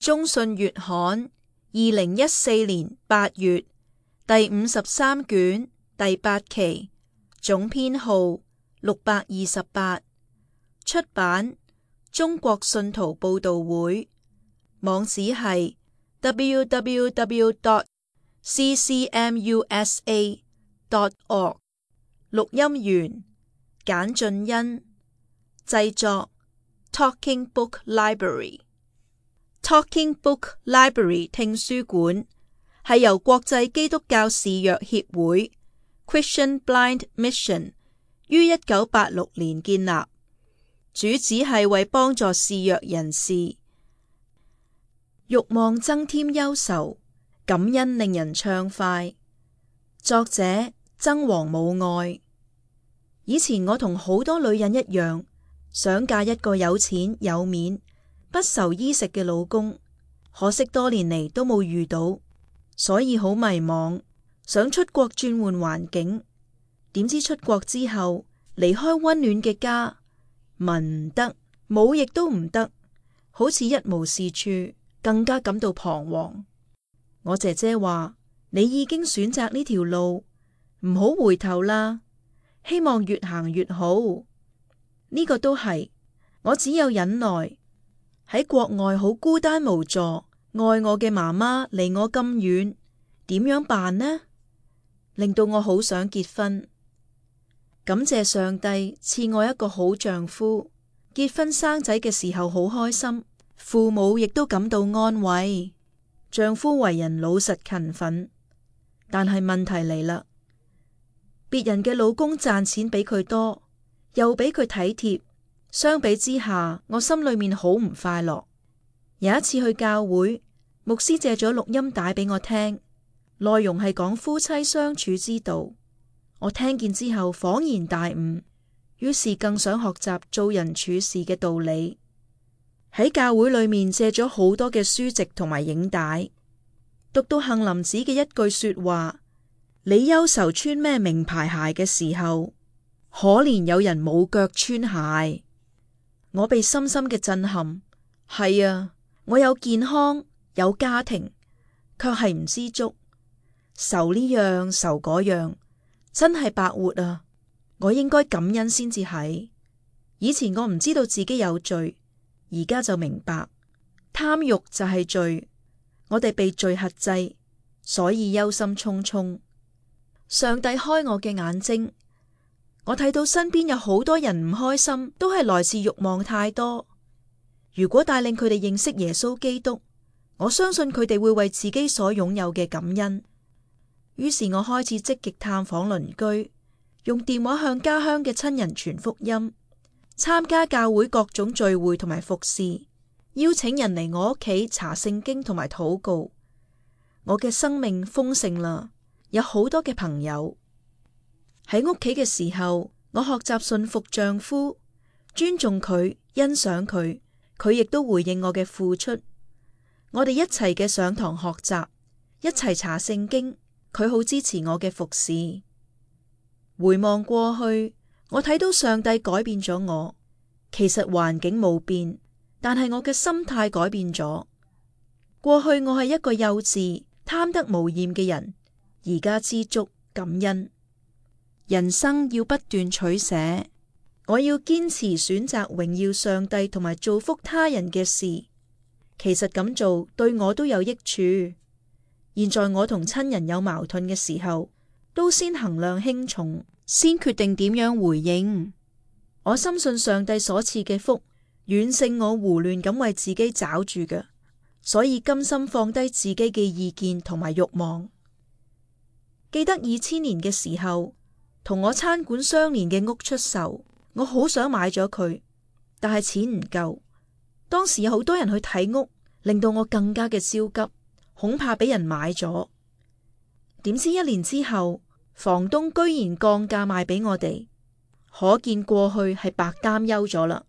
中信月刊2014年8月第53卷第8期，總編號628，出版中國信徒報道會，網址係 www.ccmusa.org。 錄音員簡俊恩，製作 Talking Book Library。Talking Book Library 聽書館係由國際基督教視弱協會 Christian Blind Mission 於1986年建立，主旨係為幫助視弱人士。欲望增添憂愁，感恩令人暢快。作者曾王母愛。以前我同好多女人一樣，想嫁一個有錢有面不愁衣食嘅老公，可惜多年嚟都冇遇到，所以好迷茫，想出國轉換環境。點知出國之後，離開溫暖嘅家，文唔得，武亦都唔得，好似一無是處，更加感到彷徨。我姐姐話：你已經選擇呢條路，唔好回頭啦，希望越行越好。呢個都係，我只有忍耐。喺國外好孤單無助，愛我嘅媽媽離我咁遠，點樣辦呢？令到我好想結婚。感謝上帝賜我一個好丈夫，結婚生仔嘅時候好開心，父母亦都感到安慰。丈夫為人老實勤奮，但係問題嚟啦，別人嘅老公賺錢比佢多，又比佢體貼，相比之下，我心裏面好唔快樂。有一次去教會，牧師借咗錄音帶俾我聽，內容係講夫妻相處之道。我聽見之後恍然大悟，於是更想學習做人處事嘅道理。喺教會裏面借咗好多嘅書籍同埋影帶，讀到杏林子嘅一句說話：你憂愁穿咩名牌鞋嘅時候，可憐有人冇腳穿鞋。我被深深嘅震撼。係啊，我有健康有家庭，卻係唔知足，愁呢樣愁嗰樣，真係白活啊！我應該感恩先至係。以前我唔知道自己有罪，而家就明白，貪欲就係罪。我哋被罪轄制，所以憂心忡忡。上帝開我嘅眼睛，我睇到身邊有好多人唔開心，都係來自欲望太多。如果帶領佢哋認識耶穌基督，我相信佢哋會為自己所擁有嘅感恩。於是我開始積極探訪鄰居，用電話向家鄉嘅親人傳福音，參加教會各種聚會同埋服侍，邀請人嚟我屋企查聖經同埋禱告。我嘅生命豐盛啦，有好多嘅朋友。喺屋企嘅時候，我學習順服丈夫，尊重佢，欣賞佢，佢亦都回應我嘅付出。我哋一齊嘅上堂學習，一齊查聖經，佢好支持我嘅服侍。回望過去，我睇到上帝改變咗我。其實環境冇變，但係我嘅心態改變咗。過去我係一個幼稚、貪得無厭嘅人，而家知足感恩。人生要不斷取捨，我要堅持選擇榮耀上帝同埋造福他人嘅事。其實咁做對我都有益處。現在我同親人有矛盾嘅時候，都先衡量輕重，先決定點樣回應。我深信上帝所賜嘅福遠勝我胡亂咁為自己找住嘅，所以甘心放低自己嘅意見同埋慾望。記得2000年嘅時候，同我餐館相連嘅屋出售，我好想買咗佢，但係錢唔夠。當時有好多人去睇屋，令到我更加嘅焦急，恐怕俾人買咗。點知1年之後，房東居然降價賣俾我哋，可見過去係白擔憂咗啦。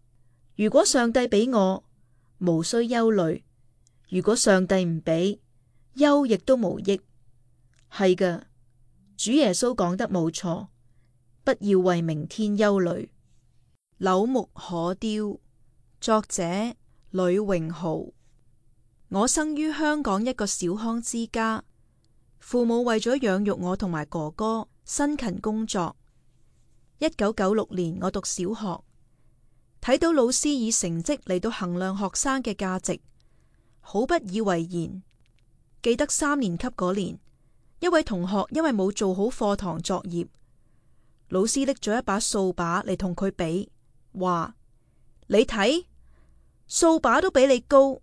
如果上帝俾我，無需憂慮；如果上帝唔俾，憂亦都無益。係㗎，主耶穌講得冇錯。不要為明天憂慮。柳木可雕，作者呂榮豪。我生於香港一個小康之家，父母為咗養育我同埋哥哥，辛勤工作。1996年我讀小學，睇到老師以成績嚟到衡量學生嘅價值，好不以為然。記得3年級嗰年，一位同學因為冇做好課堂作業，老師拎咗一把掃把嚟同佢比，話：你睇，掃把都比你高，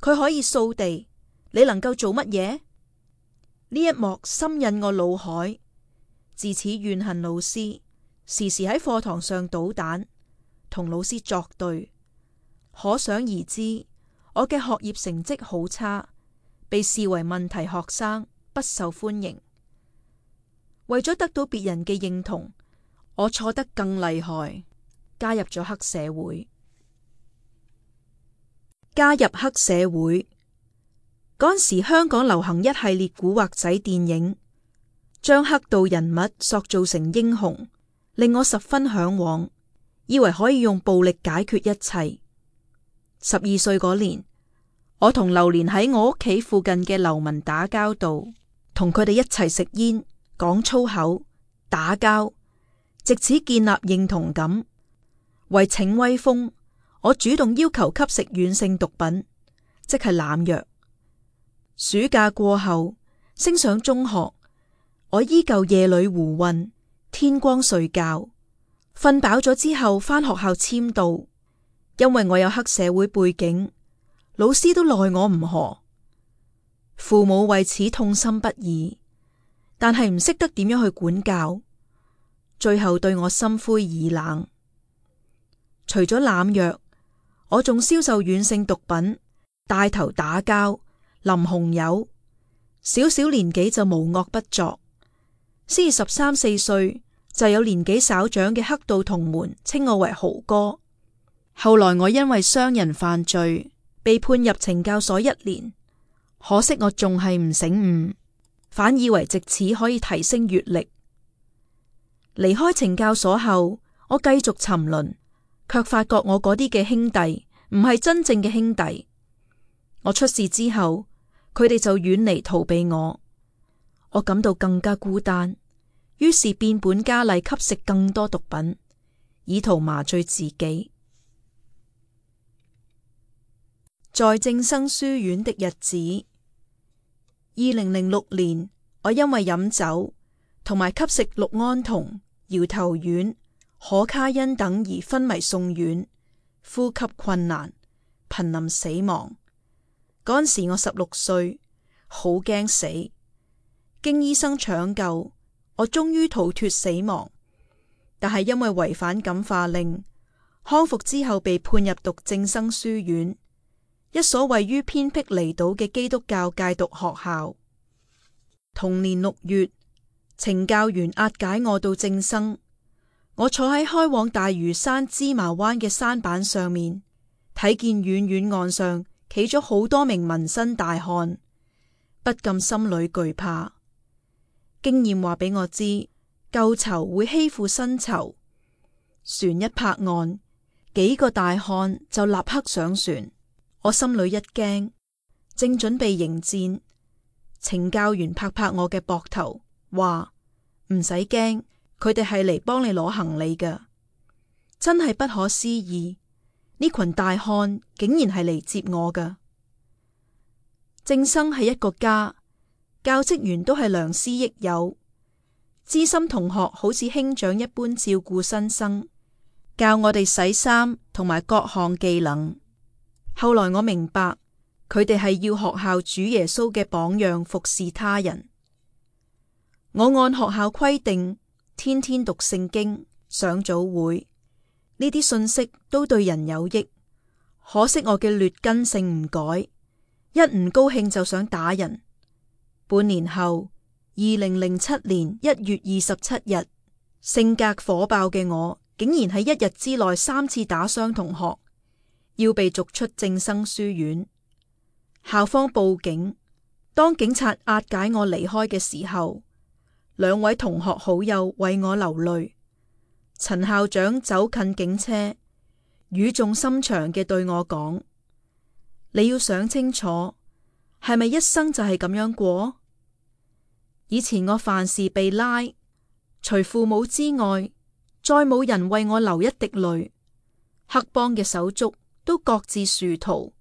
佢可以掃地，你能夠做乜嘢？呢一幕深印我腦海，自此怨恨老師，時時喺課堂上搗蛋，同老師作對。可想而知，我嘅學業成績好差，被視為問題學生，不受歡迎。為咗得到別人嘅認同，我錯得更厲害，加入咗黑社會。加入黑社會嗰陣時，香港流行一系列古惑仔電影，將黑道人物塑造成英雄，令我十分向往，以為可以用暴力解決一切。12歲嗰年，我同流連喺我屋企附近嘅流民打交道，同佢哋一齊食煙、講粗口、打交，藉此建立認同感。為逞威風，我主動要求吸食軟性毒品，即係濫藥。暑假過後，升上中學，我依舊夜裏胡混，天光睡覺，瞓飽咗之後返學校簽到。因為我有黑社會背景，老師都奈我唔何，父母為此痛心不已，但係唔識得點樣去管教，最後對我心灰意冷。除咗濫藥，我仲銷售軟性毒品，帶頭打交，淋紅油，小小年紀就無惡不作。先至13、14歲，就有年紀稍長嘅黑道同門稱我為豪哥。後來我因為傷人犯罪，被判入懲教所1年。可惜我仲係唔醒悟，反以為藉此可以提升閱歷。離開懲教所後，我繼續沉淪，卻發覺我嗰啲嘅兄弟唔係真正嘅兄弟。我出事之後，佢哋就遠離逃避我，我感到更加孤單，於是變本加厲吸食更多毒品，以圖麻醉自己。在正生書院的日子，2006年，我因為飲酒同埋吸食氯胺酮、搖頭丸、可卡因等而昏迷送院，呼吸困難，瀕臨死亡。嗰陣時我16歲，好驚死。經醫生搶救，我終於逃脫死亡，但係因為違反感化令，康復之後被判入讀正生書院，一所位於偏僻離島嘅基督教戒毒學校。同年6月，懲教員押解我到正生，我坐喺開往大嶼山芝麻灣嘅山板上面，睇見遠遠岸上企咗好多名紋身大漢，不禁心裏懼怕。經驗話俾我知，舊囚會欺負新囚。船一泊岸，幾個大漢就立刻上船。我心裏一驚，正準備迎戰，懲教員拍拍我嘅膊頭，話唔使驚，佢哋係嚟幫你攞行李㗎。真係不可思議，呢群大漢竟然係嚟接我㗎。正生係一個家，教職員都係良師益友，資深同學好似兄長一般照顧新生，教我哋洗衫同埋各項技能。後來我明白，佢哋係要學校主耶穌嘅榜樣服侍他人。我按學校規定，天天讀聖經、上早會，呢啲信息都對人有益。可惜我嘅劣根性唔改，一唔高興就想打人。半年後，2007年1月27日，性格火爆嘅我，竟然喺1日之內3次打傷同學，要被逐出正生書院。校方報警，當警察押解我離開嘅時候，2位同學好友為我流淚。陳校長走近警車，語重心長嘅對我講：你要想清楚，係咪一生就係咁樣過？以前我凡事被拉，除父母之外，再冇人為我流一滴淚，黑幫嘅手足都各自殊途。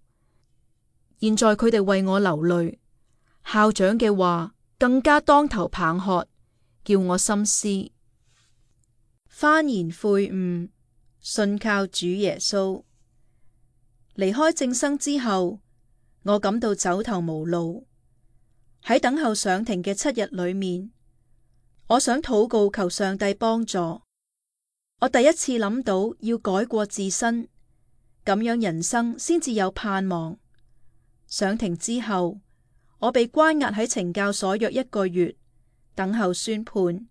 現在佢哋為我流淚，校長嘅話更加當頭棒喝，叫我深思。幡然悔悟，信靠主耶穌。離開正生之後，我感到走投無路。喺等候上庭嘅7日裏面，我想禱告求上帝幫助。我第一次諗到要改過自新，咁樣人生先至有盼望。上庭之後，我被關押喺懲教所約1個月，等候宣判。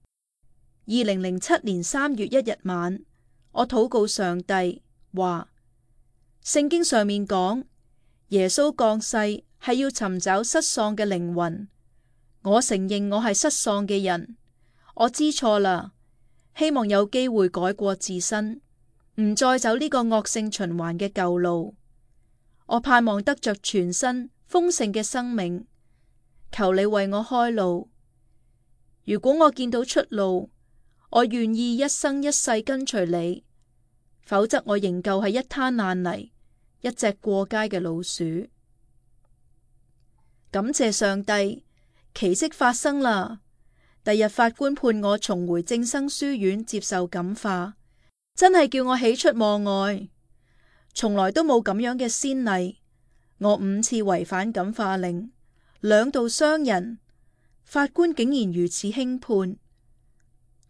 2007年3月1日晚，我禱告上帝話：聖經上面講，耶穌降世係要尋找失喪嘅靈魂。我承認我係失喪嘅人，我知錯啦，希望有機會改過自新，唔再走呢個惡性循環嘅舊路。我盼望得着全新豐盛嘅生命，求你為我開路。如果我見到出路，我願意一生一世跟隨你，否則我仍舊係一灘爛泥，一隻過街嘅老鼠。感謝上帝，奇蹟發生啦！第日法官判我重回正生書院接受感化，真係叫我喜出望外。從來都冇咁樣嘅先例。我5次違反感化令，2度傷人，法官竟然如此輕判。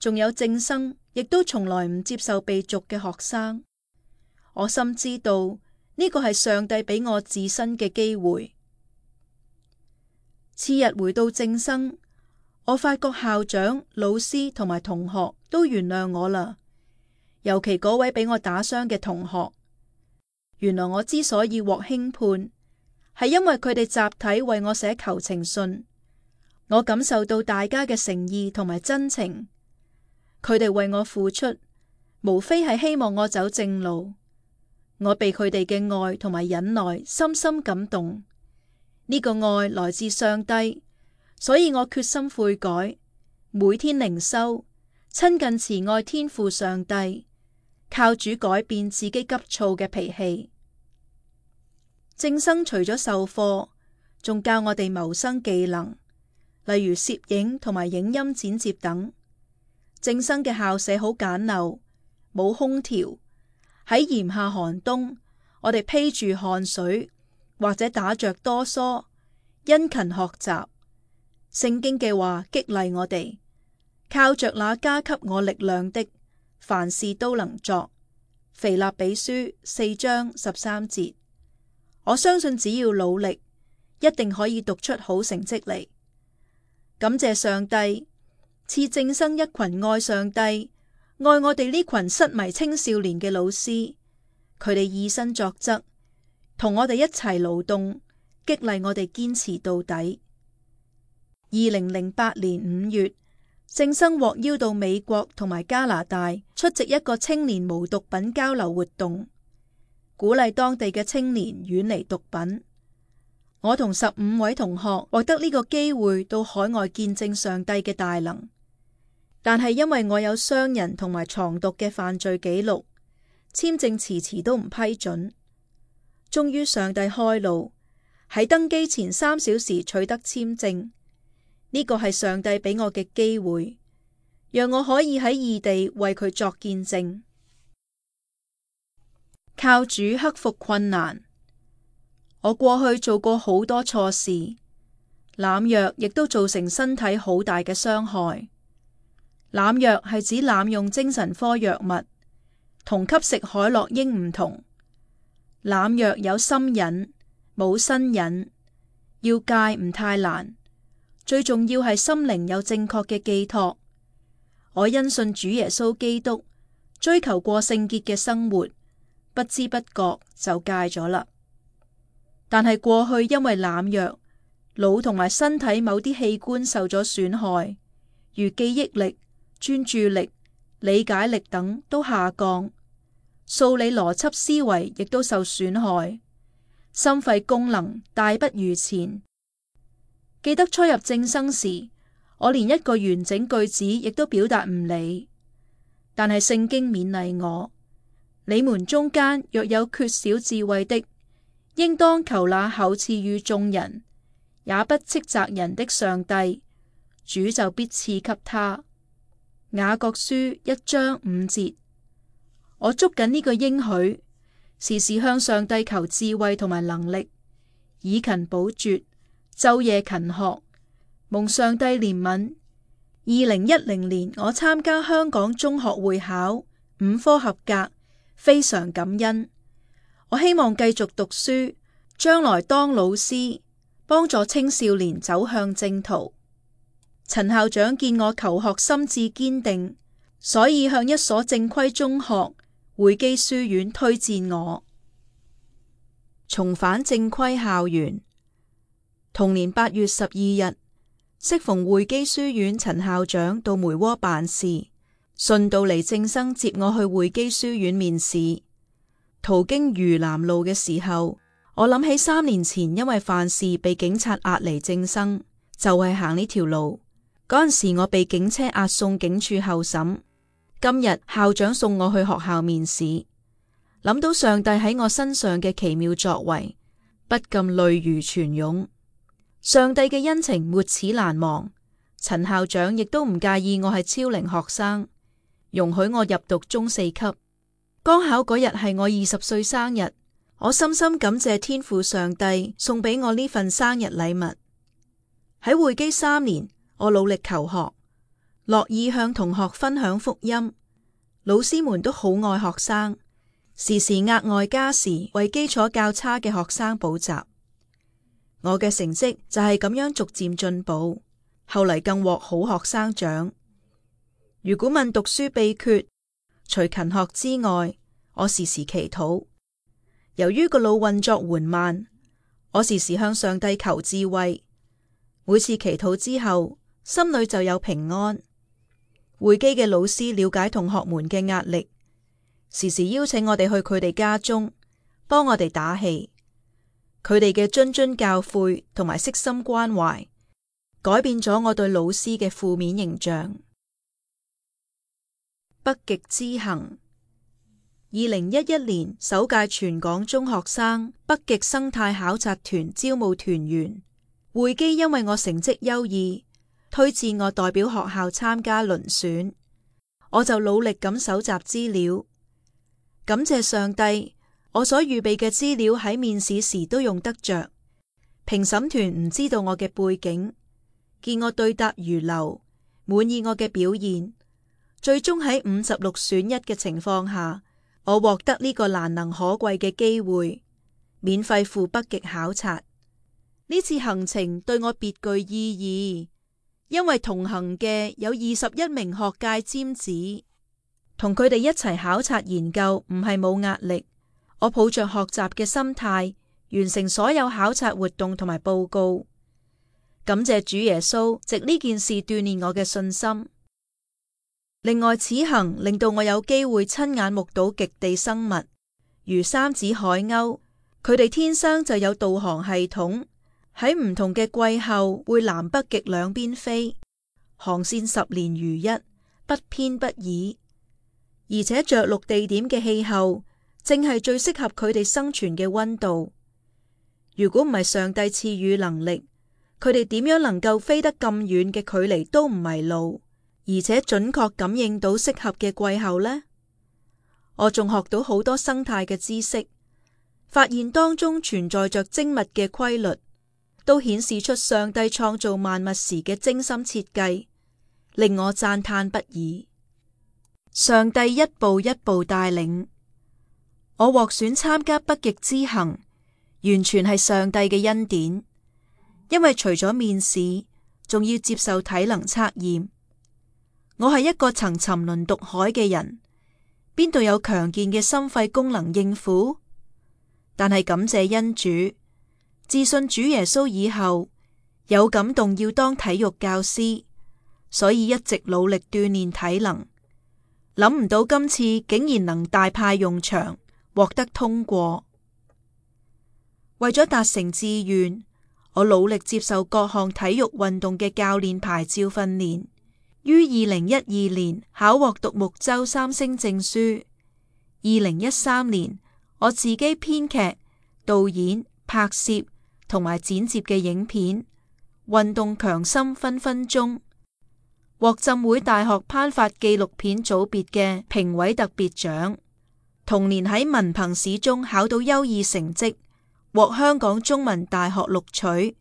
仲有正生，亦都從來唔接受被逐嘅學生。我深知道呢個係上帝俾我自新嘅機會。次日回到正生，我發覺校長、老師同埋同學都原諒我啦，尤其嗰位俾我打傷嘅同學。原來我之所以獲輕判，係因為佢哋集體為我寫求情信。我感受到大家嘅誠意同埋真情，佢哋為我付出，無非係希望我走正路。我被佢哋嘅愛同埋忍耐深深感動。呢個愛來自上帝，所以我決心悔改，每天靈修，親近慈愛天父上帝，靠主改變自己急躁嘅脾氣。正生除咗授課，仲教我哋謀生技能，例如攝影同埋影音剪接等。正生嘅校舍好簡陋，冇空調，喺炎夏寒冬，我哋披住汗水，或者打着哆嗦，殷勤學習。聖經嘅話激勵我哋，靠着那加給我力量的，凡事都能作。腓立比書4章13節。我相信只要努力，一定可以讀出好成績嚟。感謝上帝賜正生一群愛上帝、愛我哋呢群失迷青少年嘅老師，佢哋以身作則，同我哋一齊勞動，激勵我哋堅持到底。2008年5月，正生獲邀到美國同埋加拿大出席一個青年無毒品交流活動，鼓勵當地嘅青年遠離毒品。我同15位同學獲得呢個機會到海外見證上帝嘅大能，但係因為我有傷人同埋藏毒嘅犯罪記錄，簽證遲遲都唔批准。終於上帝開路，喺登機前3小時取得簽證。呢個係上帝俾我嘅機會，讓我可以喺異地為佢作見證。靠主克服困難。我過去做過好多錯事，濫藥亦都造成身體好大嘅傷害。濫藥係指濫用精神科藥物，同吸食海洛因唔同。濫藥有心癮，冇身癮，要戒唔太難。最重要係心靈有正確嘅寄託。我因信主耶穌基督，追求過聖潔嘅生活，不知不覺就戒咗啦。但係過去因為濫藥，腦同埋身體某啲器官受咗損害，如記憶力、專注力、理解力等都下降，數理邏輯思維亦都受損害，心肺功能大不如前。記得初入正生時，我連一個完整句子亦都表達唔嚟，但係聖經勉勵我：你們中間若有缺少智慧的，應當求那厚賜予眾人，也不斥責人的上帝，主就必賜給他。雅各書1章5節。我捉緊呢個應許，時時向上帝求智慧同埋能力，以勤補拙，晝夜勤學，蒙上帝憐憫。2010年我參加香港中學會考5科合格，非常感恩。我希望繼續讀書，將來當老師，幫助青少年走向正途。陳校長見我求學心志堅定，所以向一所正規中學匯基書院推薦我。重返正規校園。同年8月12日，適逢匯基書院陳校長到梅窩辦事，順道嚟正生接我去匯基書院面試。途經嶼南路嘅時候，我諗起3年前因為犯事被警察押嚟正生，就係行呢條路。嗰陣時我被警車押送警署候審。今日校長送我去學校面試，諗到上帝喺我身上嘅奇妙作為，不禁淚如泉湧。上帝嘅恩情沒齒難忘。陳校長亦都唔介意我係超齡學生，容許我入讀中4級。剛考嗰日係我20歲生日，我深深感謝天父上帝送俾我呢份生日禮物。喺匯基3年，我努力求學，樂意向同學分享福音。老師們都好愛學生，時時額外加時為基礎較差嘅學生補習。我嘅成績就係咁樣逐漸進步，後嚟更獲好學生獎。如果問讀書秘訣，除勤學之外，我時時祈禱。由於個腦運作緩慢，我時時向上帝求智慧。每次祈禱之後，心裏就有平安。匯基嘅老師了解同學們嘅壓力，時時邀請我哋去佢哋家中，幫我哋打氣。佢哋嘅諄諄教誨同埋悉心關懷，改變咗我對老師嘅負面形象。北極之行。2011年首屆全港中學生北極生態考察團招募團員，匯基因為我成績優異，推薦我代表學校參加遴選，我就努力咁搜集資料。感謝上帝，我所預備嘅資料喺面試時都用得着。評審團唔知道我嘅背景，見我對答如流，滿意我嘅表現，最終喺56選1嘅情況下，我獲得呢個難能可貴嘅機會，免費赴北極考察。呢次行程對我別具意義，因為同行嘅有21名學界尖子，同佢哋一齊考察研究唔係冇壓力。我抱着學習嘅心態，完成所有考察活動同埋報告。感謝主耶穌，藉呢件事鍛煉我嘅信心。另外，此行令到我有機會親眼目睹極地生物，如三指海鷗，佢哋天生就有導航系統，喺唔同嘅季候會南北極兩邊飛，航線10年如一，不偏不倚，而且着陸地點嘅氣候正係最適合佢哋生存嘅溫度。如果唔係上帝賜予能力，佢哋點樣能夠飛得咁遠嘅距離都唔迷路，而且準確感應到適合嘅季候呢？我仲學到好多生態嘅知識，發現當中存在着精密嘅規律，都顯示出上帝創造萬物時嘅精心設計，令我讚嘆不已。上帝一步一步帶領我獲選參加北極之行，完全係上帝嘅恩典。因為除咗面試，仲要接受體能測驗。我係一個曾沉淪毒海嘅人，邊度有強健嘅心肺功能應付？但係感謝恩主，自信主耶穌以後，有感動要當體育教師，所以一直努力鍛煉體能。諗唔到今次竟然能大派用場，獲得通過。為咗達成志願，我努力接受各項體育運動嘅教練牌照訓練，於2012年考獲獨木舟3星證書。2013年，我自己編劇、導演、拍攝同埋剪接嘅影片《運動強心分分鐘》，獲浸會大學頒發紀錄片組別嘅評委特別獎。同年喺文憑試中考到優異成績，獲香港中文大學錄取。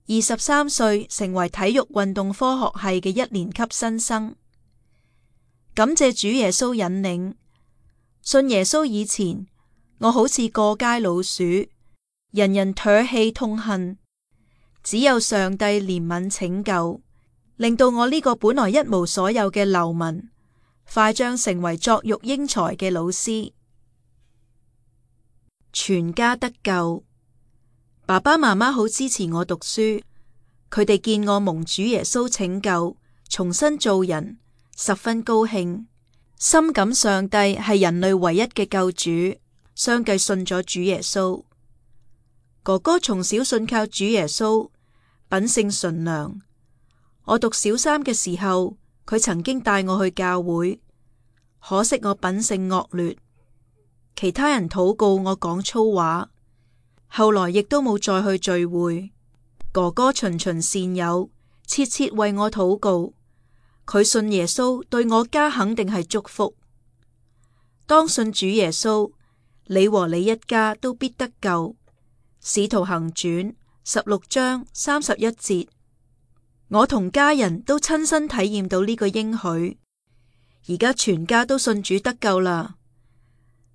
23歲成為體育運動科學系嘅1年級新生。感謝主耶穌引領，信耶穌以前，我好似過街老鼠，人人唾棄痛恨，只有上帝憐憫拯救，令到我呢個本來一無所有嘅流民，快將成為作育英才嘅老師。全家得救，爸爸媽媽好支持我讀書，佢哋見我蒙主耶穌拯救，重新做人，十分高興，深感上帝係人類唯一嘅救主，相繼信咗主耶穌。哥哥從小信靠主耶穌，品性純良。我讀小三嘅時候，佢曾經帶我去教會，可惜我品性惡劣，其他人禱告我講粗話，後來亦都冇再去聚會。哥哥循循善誘，切切為我禱告，佢信耶穌對我家肯定係祝福。當信主耶穌，你和你一家都必得救。使徒行傳16章31節，我同家人都親身體驗到呢個應許，而家全家都信主得救啦。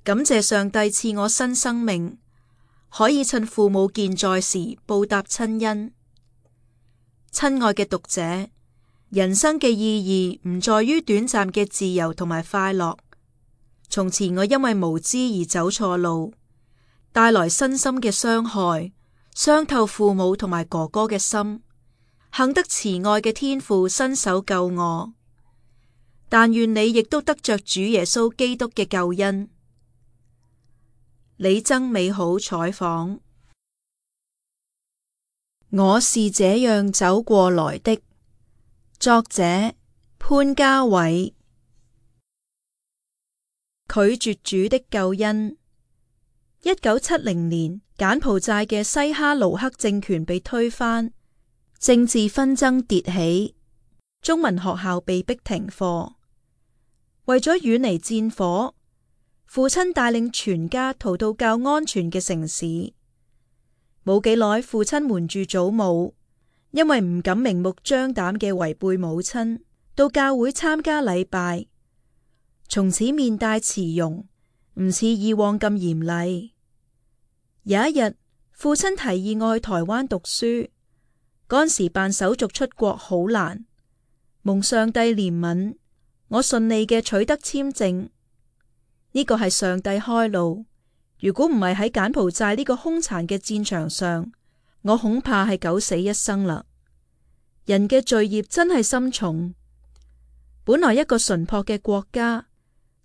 感謝上帝賜我新生命，可以趁父母健在時報答親恩。親愛嘅讀者，人生嘅意義唔在於短暫嘅自由同埋快樂。從前我因為無知而走錯路，帶來身心嘅傷害，傷透父母同埋哥哥嘅心。幸得慈愛嘅天父伸手救我，但願你亦都得着主耶穌基督嘅救恩。李曾美好採訪。我是這樣走過來的。作者潘家偉。拒絕主的救恩。1970年，柬埔寨嘅西哈努克政權被推翻，政治紛爭迭起，中文學校被迫停課。為咗遠離戰火，父親帶領全家逃到較安全嘅城市。冇幾耐，父親瞞住祖母，因為唔敢明目張膽嘅違背母親，到教會參加禮拜。從此面帶慈容，唔似以往咁嚴厲。有一日，父親提議我去台灣讀書，嗰時辦手續出國好難，蒙上帝憐憫，我順利嘅取得簽證。呢個係上帝開路，如果唔係喺柬埔寨呢個兇殘嘅戰場上，我恐怕係九死一生啦。人嘅罪孽真係深重，本來一個淳樸嘅國家，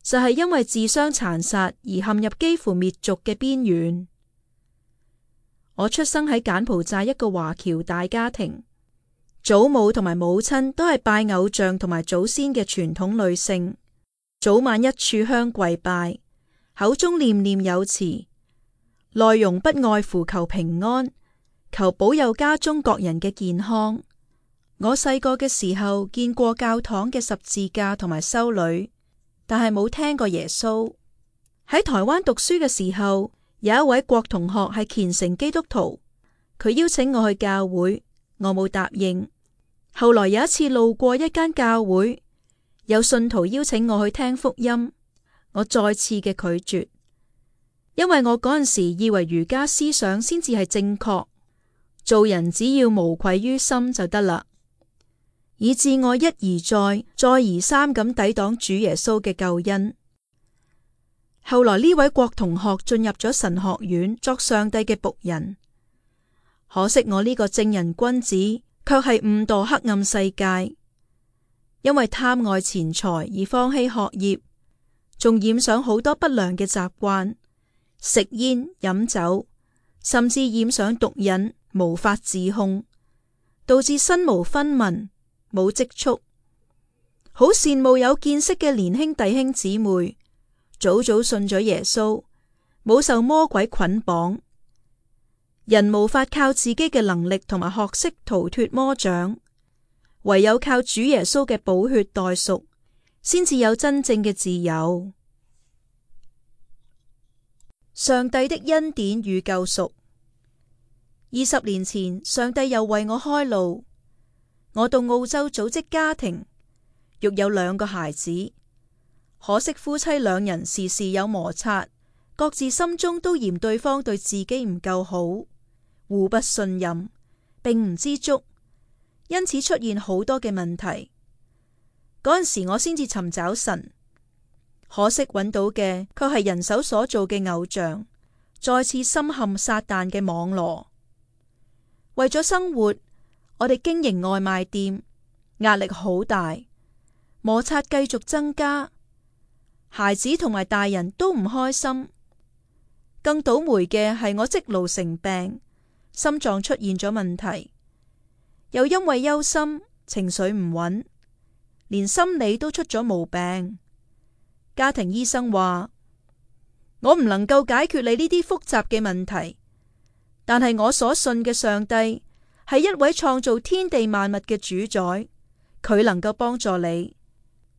就係因為自相殘殺而陷入幾乎滅族嘅邊緣。我出生喺柬埔寨一個華僑大家庭，祖母同埋母親都係拜偶像同埋祖先嘅傳統女性，早晚一炷香跪拜，口中念念有詞，內容不外乎求平安，求保佑家中各人嘅健康。我細個嘅時候見過教堂嘅十字架同埋修女，但係冇聽過耶穌。喺台灣讀書嘅時候，有一位郭同學係虔誠基督徒，佢邀請我去教會，我冇答應。後來有一次路過一間教會，有信徒邀請我去聽福音，我再次嘅拒絕，因為我嗰陣時以為儒家思想先至係正確，做人只要無愧於心就得啦，以致我一而再，再而三咁抵擋主耶穌嘅救恩。後來呢位郭同學進入咗神學院作上帝嘅僕人，可惜我呢個正人君子卻係誤墮黑暗世界，因為貪愛錢財而放棄學業，仲染上好多不良嘅習慣，食煙飲酒，甚至染上毒癮，無法自控，導致身無分文，冇積蓄。好羨慕有見識嘅年輕弟兄姊妹，早早信咗耶穌，冇受魔鬼捆綁。人無法靠自己嘅能力同埋學識逃脫魔掌，唯有靠主耶穌嘅寶血代贖，先至有真正嘅自由。上帝的恩典與救贖。20年前，上帝又為我開路。我到澳洲組織家庭，育有2個孩子。可惜夫妻2人時時有摩擦，各自心中都嫌對方對自己唔夠好，互不信任，並唔知足，因此出現好多嘅問題。嗰陣時我先至尋找神，可惜揾到嘅卻係人手所做嘅偶像，再次深陷撒旦嘅網羅。為咗生活，我哋經營外賣店，壓力好大，摩擦繼續增加，孩子同埋大人都唔開心。更倒霉嘅係我積勞成病，心臟出現咗問題，又因為憂心，情緒唔穩，連心理都出咗毛病。家庭醫生話，我唔能夠解決你呢啲複雜嘅問題，但係我所信嘅上帝係一位創造天地萬物嘅主宰，佢能夠幫助你。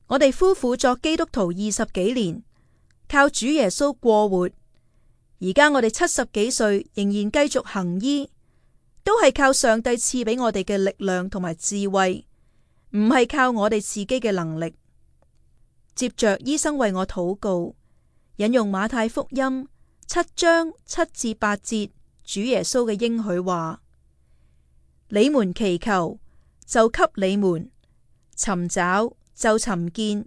我哋夫婦作基督徒20幾年，靠主耶穌過活。而家我哋70幾歲，仍然繼續行醫，都係靠上帝賜俾我哋嘅力量同埋智慧，唔係靠我哋自己嘅能力。接着醫生為我禱告，引用馬太福音7章7至8節，主耶穌嘅應許話：你們祈求，就給你們；尋找，就尋見；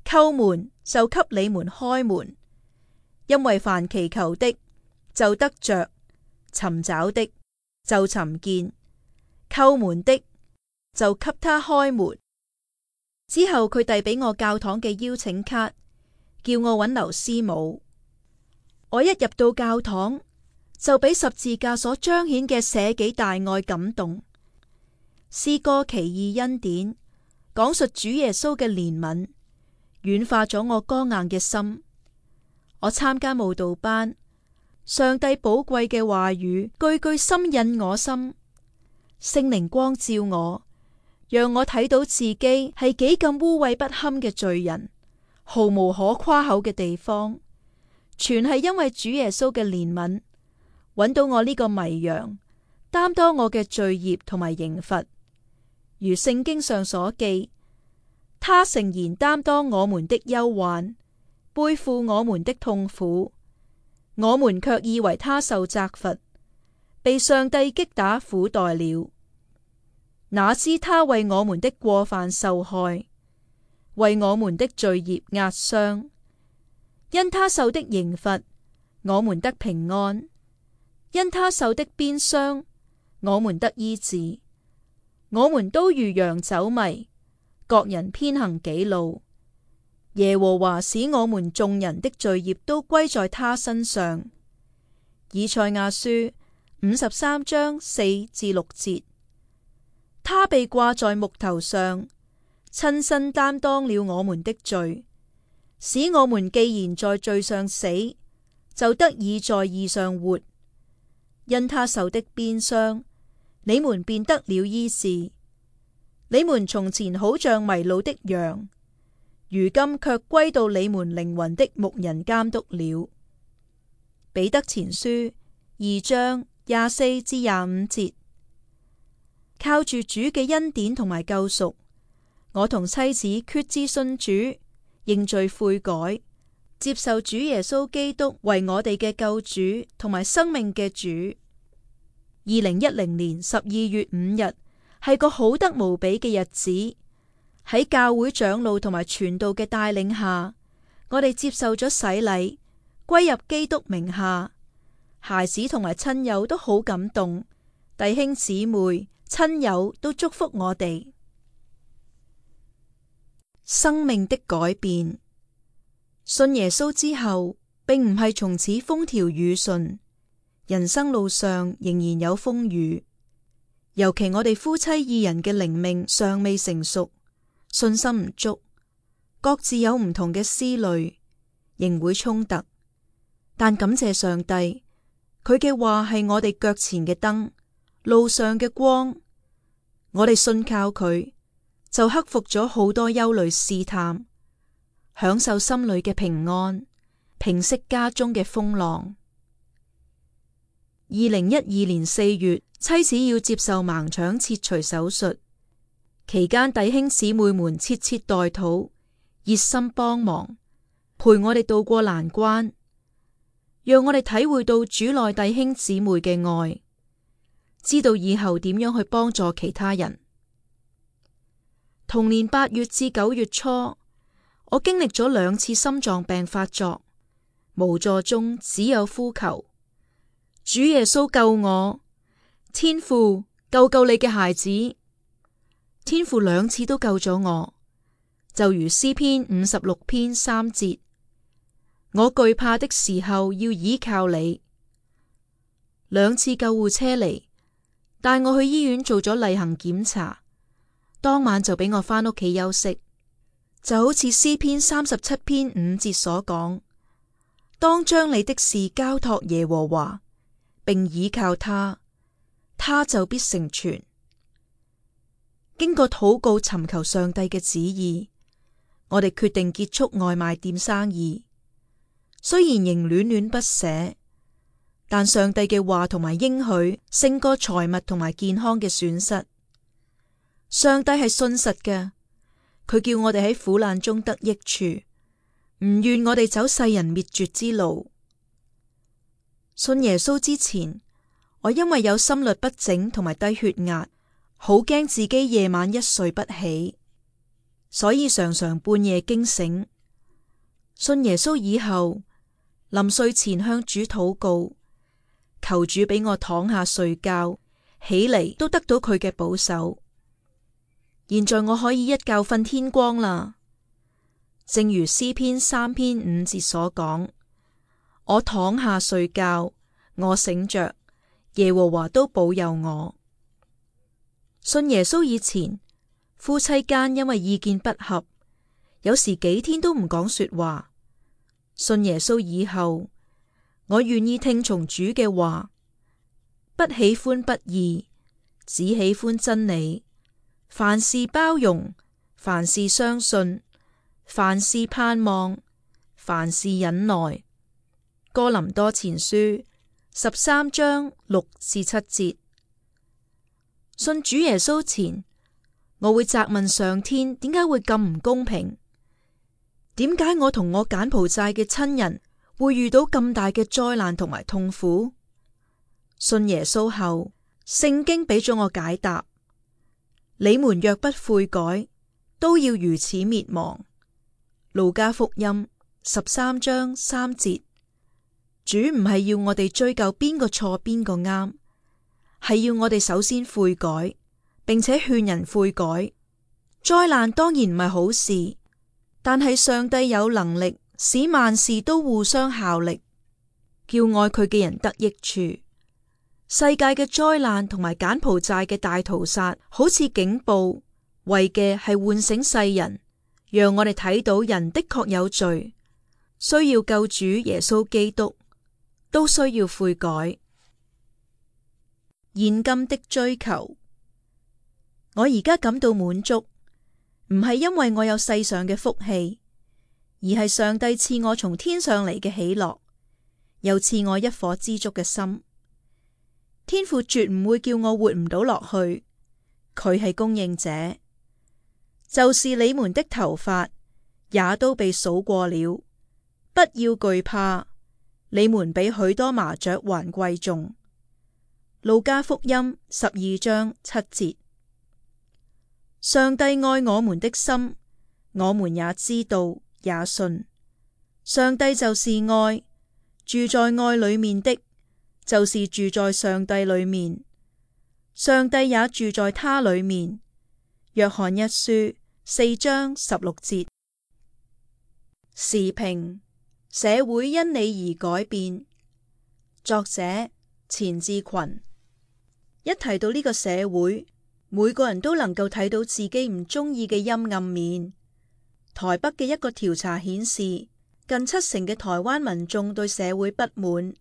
叩門，就給你們開門。因為凡祈求的，就得着；尋找的，就尋見；叩門的，就給他開門。之後佢遞俾我教堂嘅邀請卡，叫我揾劉師母。我一入到教堂，就俾十字架所彰顯嘅捨己大愛感動。詩歌奇異恩典，講述主耶穌嘅憐憫，軟化咗我剛硬嘅心。我參加慕道班，上帝寶貴嘅話語句句深印我心，聖靈光照我，讓我睇到自己係幾咁污穢不堪嘅罪人，毫無可誇口嘅地方，全係因為主耶穌嘅憐憫，揾到我呢個迷羊，擔當我嘅罪孽同埋刑罰。如聖經上所記，他誠然擔當我們的憂患，背負我們的痛苦，我們卻以為他受責罰，被上帝擊打苦待了。哪知他為我們的過犯受害，為我們的罪孽壓傷。因他受的刑罰，我們得平安；因他受的鞭傷，我們得醫治。我們都如羊走迷，各人偏行己路。耶和華使我們眾人的罪孽都歸在他身上。以賽亞書53章4至6節。他被掛在木頭上，親身擔當了我們的罪，使我們既然在罪上死，就得以在義上活。因他受的鞭傷，你們便得了醫治。你們從前好像迷路的羊，如今卻歸到你們靈魂的牧人監督了。彼得前書2章24至25節。靠住主嘅恩典同埋救贖，我同妻子決志信主，認罪悔改，接受主耶穌基督為我哋嘅救主同埋生命嘅主。2010年12月5日係個好得無比嘅日子，喺教會長老同埋傳道嘅帶領下，我哋接受咗洗禮，歸入基督名下。孩子同埋親友都好感動，弟兄姊妹、親友都祝福我哋。生命的改變。信耶穌之後，並唔係從此風調雨順，人生路上仍然有風雨，尤其我哋夫妻二人嘅靈命尚未成熟，信心唔足，各自有唔同嘅思慮，仍會衝突。但感謝上帝，佢嘅話係我哋腳前嘅燈，路上嘅光。我哋信靠佢，就克服咗好多憂慮試探，享受心裏嘅平安，平息家中嘅風浪。2012年4月，妻子要接受盲腸切除手術，期間弟兄姊妹們切切代禱，熱心幫忙，陪我哋渡過難關，讓我哋體會到主內弟兄姊妹嘅愛，知道以後點樣去幫助其他人。同年8月至9月初，我經歷咗2次心臟病發作，無助中只有呼求：主耶穌救我，天父救救你嘅孩子。天父2次都救咗我，就如詩篇56篇3節：我懼怕的時候要倚靠你。2次救護車嚟，帶我去醫院做咗例行檢查，當晚就俾我返屋企休息。就好似詩篇37篇5節所講：當將你的事交託耶和華，並倚靠他，他就必成全。經過禱告尋求上帝嘅旨意，我哋決定結束外賣店生意。雖然仍戀戀不捨，但上帝嘅話同埋應許勝過財物同埋健康嘅損失。上帝係信實嘅，佢叫我哋喺苦難中得益處，唔願我哋走世人滅絕之路。信耶穌之前，我因為有心律不整同埋低血壓，好驚自己夜晚一睡不起，所以常常半夜驚醒。信耶穌以後，臨睡前向主禱告，求主俾我躺下睡覺，起嚟都得到佢嘅保守。現在我可以一覺瞓天光啦，正如詩篇3篇5節所講：我躺下睡覺，我醒着，耶和華都保佑我。信耶穌以前，夫妻間因為意見不合，有時幾天都唔講說話。信耶穌以後，我願意聽從主嘅話，不喜歡不義，只喜歡真理。凡事包容，凡事相信，凡事盼望，凡事忍耐。哥林多前書13章6至7節。信主耶穌前，我會責問上天點解會咁唔公平？點解我同我柬埔寨嘅親人會遇到咁大嘅災難同埋痛苦？信耶穌後，聖經俾咗我解答。你們若不悔改，都要如此滅亡。路加福音13章3節。主唔係要我哋追究邊個錯邊個啱，係要我哋首先悔改，並且勸人悔改。災難當然唔係好事，但係上帝有能力使萬事都互相效力，叫愛佢嘅人得益處。世界嘅災難同埋柬埔寨嘅大屠殺，好似警報，為嘅係喚醒世人，讓我哋睇到人的確有罪，需要救主耶穌基督，都需要悔改。現今的追求，我而家感到滿足，唔係因為我有世上嘅福氣，而係上帝賜我從天上嚟嘅喜樂，又賜我一顆知足嘅心。天父絕唔會叫我活唔到落去，佢係供應者。就是你們的頭髮也都被數過了，不要懼怕，你們比許多麻雀還貴重。路加福音12章7節。上帝愛我們的心，我們也知道也信。上帝就是愛，住在愛裏面的，就是住在上帝裏面，上帝也住在他裏面。約翰一書4章16節。時評：社會因你而改變。作者錢志群。一提到呢個社會，每個人都能夠睇到自己唔中意嘅陰暗面。台北嘅一個調查顯示，近70%嘅台灣民眾對社會不滿，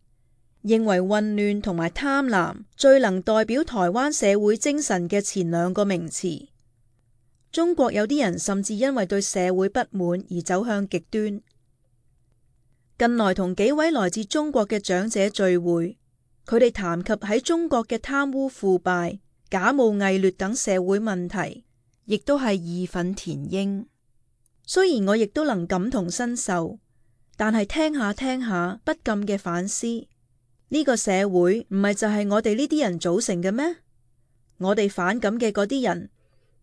認為混亂同埋貪婪最能代表台灣社會精神嘅前2個名詞。中國有啲人甚至因為對社會不滿而走向極端。近來同幾位來自中國嘅長者聚會，佢哋談及喺中國嘅貪污腐敗、假冒偽劣等社會問題，亦都係義憤填膺。雖然我亦都能感同身受，但係聽下聽下不禁嘅反思，呢個社會唔係就係我哋呢啲人組成嘅咩？我哋反感嘅嗰啲人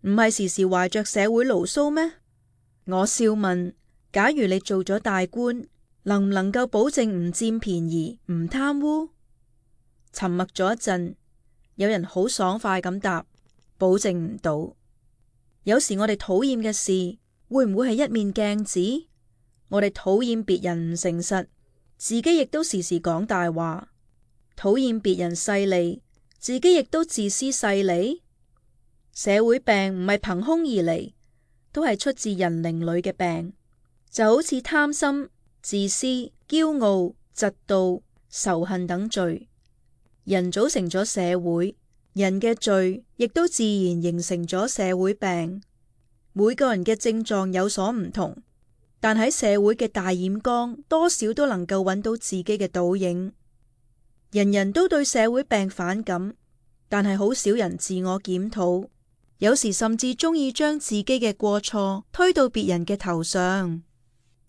唔係時時懷着社會牢騷咩？我笑問，假如你做咗大官，能唔能夠保證唔佔便宜、唔貪污？沉默咗一陣，有人好爽快咁答：保證唔到。有時我哋討厭嘅事，會唔會係一面鏡子？我哋討厭別人唔誠實，自己亦都時時講大話；討厭別人勢利，自己亦都自私勢利。社會病唔係憑空而嚟，都係出自人靈裏嘅病，就好似貪心、自私、驕傲、嫉妒、仇恨等罪。人組成咗社會，人嘅罪亦都自然形成咗社會病。每個人嘅症狀有所唔同，但喺社會嘅大染缸，多少都能夠揾到自己嘅倒影。人人都對社會病反感，但係好少人自我檢討，有時甚至中意將自己嘅過錯推到別人嘅頭上。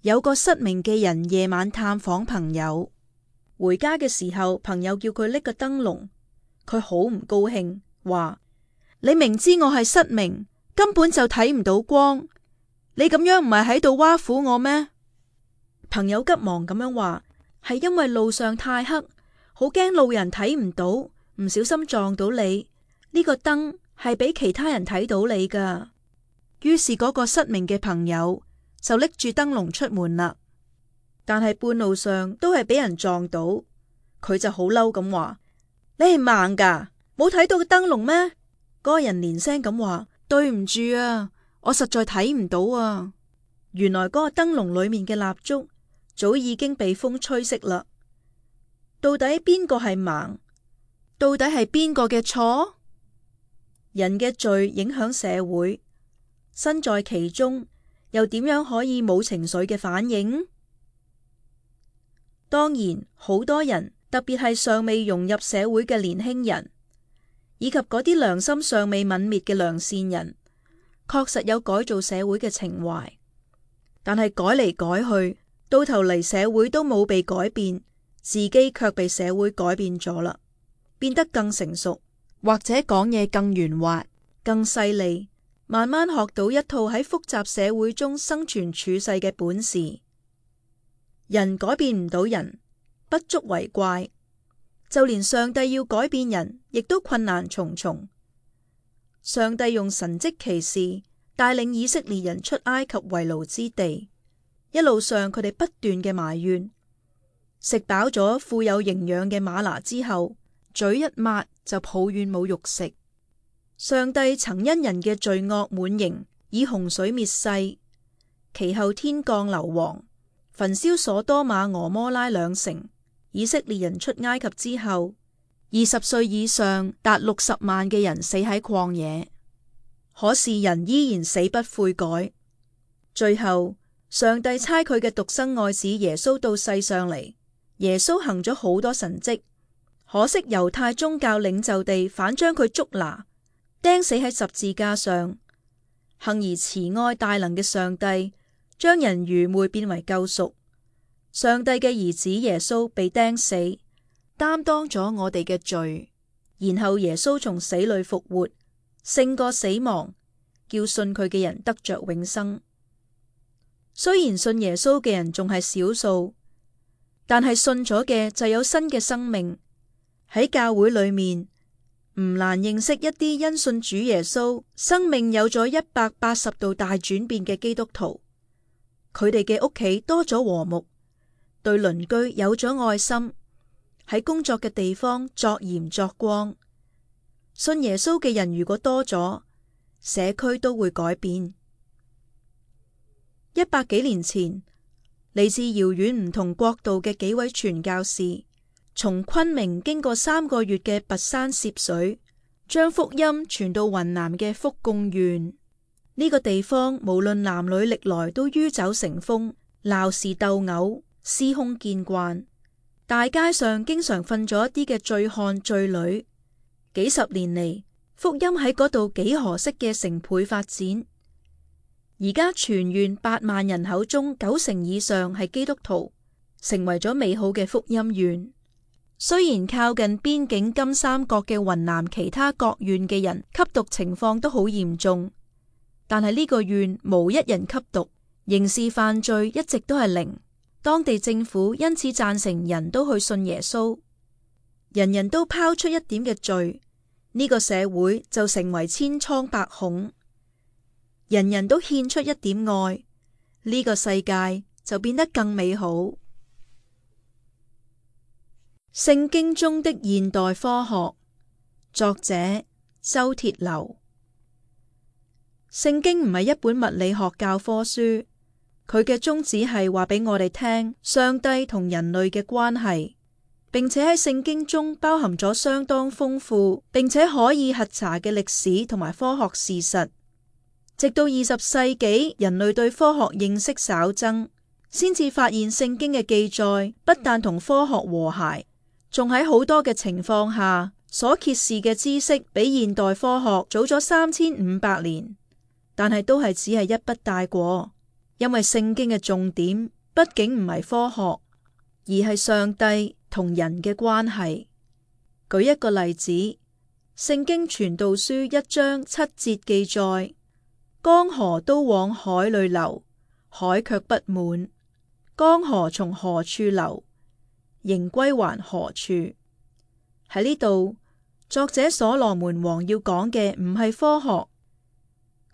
有個失明嘅人夜晚探訪朋友，回家嘅時候，朋友叫佢拎個燈籠，佢好唔高興，話：你明知我係失明，根本就睇唔到光，你咁樣唔係喺度挖苦我咩？朋友急忙咁樣話：係因為路上太黑，好驚路人睇唔到，唔小心撞到你。呢個燈係俾其他人睇到你噶。於是嗰個失明嘅朋友就拎住燈籠出門啦。但係半路上都係俾人撞到，佢就好嬲咁話：你係盲噶，冇睇到個燈籠咩？嗰個人連聲咁話：對唔住啊，我實在睇唔到啊。原來嗰個燈籠裏面嘅蠟燭早已經被風吹熄啦。到底邊個係盲？到底係邊個嘅錯？人嘅罪影響社會，身在其中又點樣可以冇情緒嘅反應？當然，好多人，特別係尚未融入社會嘅年輕人，以及嗰啲良心尚未泯滅嘅良善人，確實有改造社會嘅情懷。但係改嚟改去，到頭嚟社會都冇被改變，自己卻被社會改變咗啦，變得更成熟，或者講嘢更圓滑、更犀利，慢慢學到一套喺複雜社會中生存處世嘅本事。人改變唔到人，不足為怪。就連上帝要改變人，亦都困難重重。上帝用神蹟奇事帶領以色列人出埃及為奴之地，一路上佢哋不斷嘅埋怨，食飽咗富有營養嘅嗎哪之後，嘴一抹就抱怨冇肉食。上帝曾因人嘅罪惡滿盈，以洪水滅世，其後天降硫磺，焚燒所多瑪俄摩拉2城。以色列人出埃及之後，20歲以上達60萬嘅人死喺曠野，可是人依然死不悔改。最後上帝差佢嘅獨生愛子耶穌到世上嚟，耶穌行咗好多神蹟，可惜猶太宗教領袖地反將佢捉拿，釘死喺十字架上。幸而慈愛大能嘅上帝將人愚昧變為救贖。上帝嘅兒子耶穌被釘死，擔當咗我哋嘅罪，然後耶穌從死裏復活，勝過死亡，叫信佢嘅人得着永生。雖然信耶穌嘅人仲係少數，但係信咗嘅就有新嘅生命。喺教會裏面，唔難認識一啲因信主耶穌，生命有咗180度大轉變嘅基督徒。佢哋嘅屋企多咗和睦，對鄰居有咗愛心，喺工作嘅地方作鹽作光。信耶穌嘅人如果多咗，社區都會改變。100幾年前，嚟自遙遠唔同國度嘅幾位傳教士，從昆明經過3個月嘅跋山涉水，將福音傳到雲南嘅福貢縣。呢個地方無論男女歷來都酗酒成風，鬧事鬥毆，司空見慣。大街上經常瞓咗一啲嘅醉漢醉女。幾十年嚟，福音喺嗰度幾何式嘅成倍發展。而家全縣8萬人口中90%以上係基督徒，成為咗美好嘅福音縣。雖然靠近邊境金三角嘅雲南其他各縣嘅人吸毒情況都好嚴重，但係呢個縣無一人吸毒，刑事犯罪一直都係零。當地政府因此贊成人都去信耶穌，人人都拋出一點嘅罪，呢個社會就成為千瘡百孔；人人都獻出一點愛，呢個世界就變得更美好。聖經中的現代科學，作者周鐵流。聖經唔係一本物理學教科書，佢嘅宗旨係話俾我哋聽上帝同人類嘅關係，並且喺聖經中包含咗相當豐富並且可以核查嘅歷史同埋科學事實。直到20世紀，人類對科學認識稍增，先至發現聖經嘅記載不但同科學和諧，仲喺好多嘅情況下所揭示嘅知識比現代科學早咗3500年，但係都係只係一筆帶過。因為聖經嘅重點畢竟唔係科學，而係上帝同人嘅關係。舉一個例子，聖經傳道書1章7節記載：江河都往海裏流，海卻不滿；江河從何處流，仍歸還何處。喺呢度，作者所羅門王要講嘅唔係科學，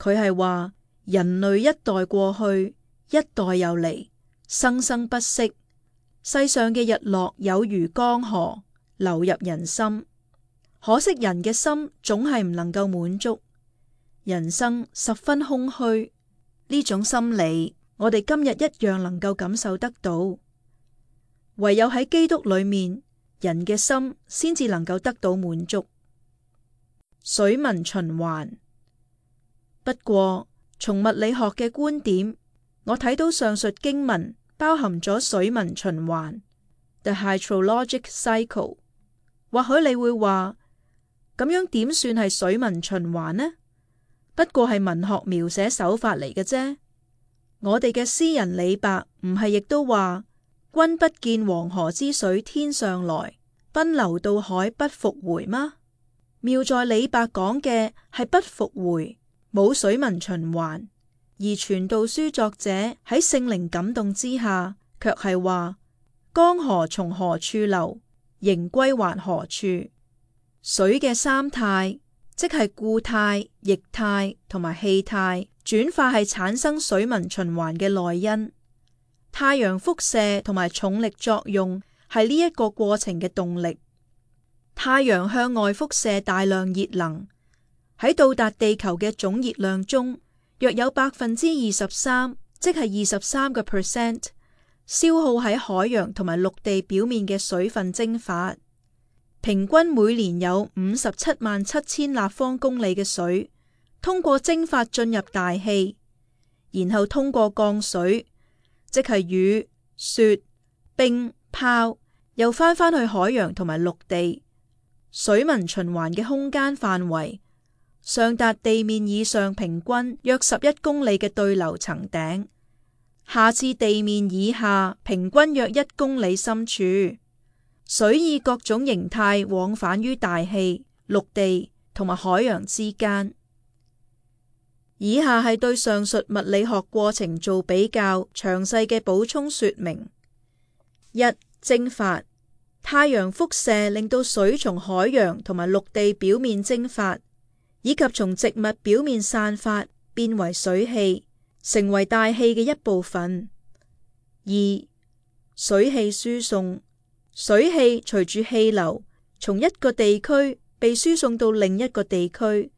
佢係話人類一代過去，一代又嚟，生生不息。世上嘅日落有如江河，流入人心。可惜人嘅心總係唔能夠滿足，人生十分空虛。呢種心理，我哋今日一樣能夠感受得到。唯有喺基督裏面，人嘅心先至能夠得到滿足。水文循環。不過，從物理學嘅觀點，我睇到上述經文包含咗水文循環 （the hydrologic cycle）。或許你會話，咁樣點算係水文循環呢？不過係文學描寫手法嚟嘅啫。我哋嘅詩人李白唔係亦都話：君不見黃河之水天上來，奔流到海不復回嗎？妙在李白講嘅係不復回，冇水文循環。而傳道書作者喺聖靈感動之下，卻係話：江河從何處流，仍歸還何處。水嘅三態，即係固態、液態同埋氣態，轉化係產生水文循環嘅內因。太陽輻射同埋重力作用係呢一個過程嘅動力。太陽向外輻射大量熱能，喺到達地球嘅總熱量中，約有23%，即係23%，消耗喺海洋同埋陸地表面嘅水分蒸發。平均每年有577000立方公里嘅水通過蒸發進入大氣，然後通過降水，即係雨、雪、冰、泡，又返去海洋同埋陸地。水文循環嘅空間範圍上達地面以上平均約11公里嘅對流層頂，下至地面以下平均約1公里深處。水以各種形態往返於大氣、陸地同埋海洋之間。以下係對上述物理學過程做比較詳細嘅補充說明。1. 蒸發。太陽輻射令到水從海洋同埋陸地表面蒸發，以及從植物表面散發，變為水氣，成為大氣嘅一部分。2. 水氣輸送。水氣隨住氣流從一個地區被輸送到另一個地區，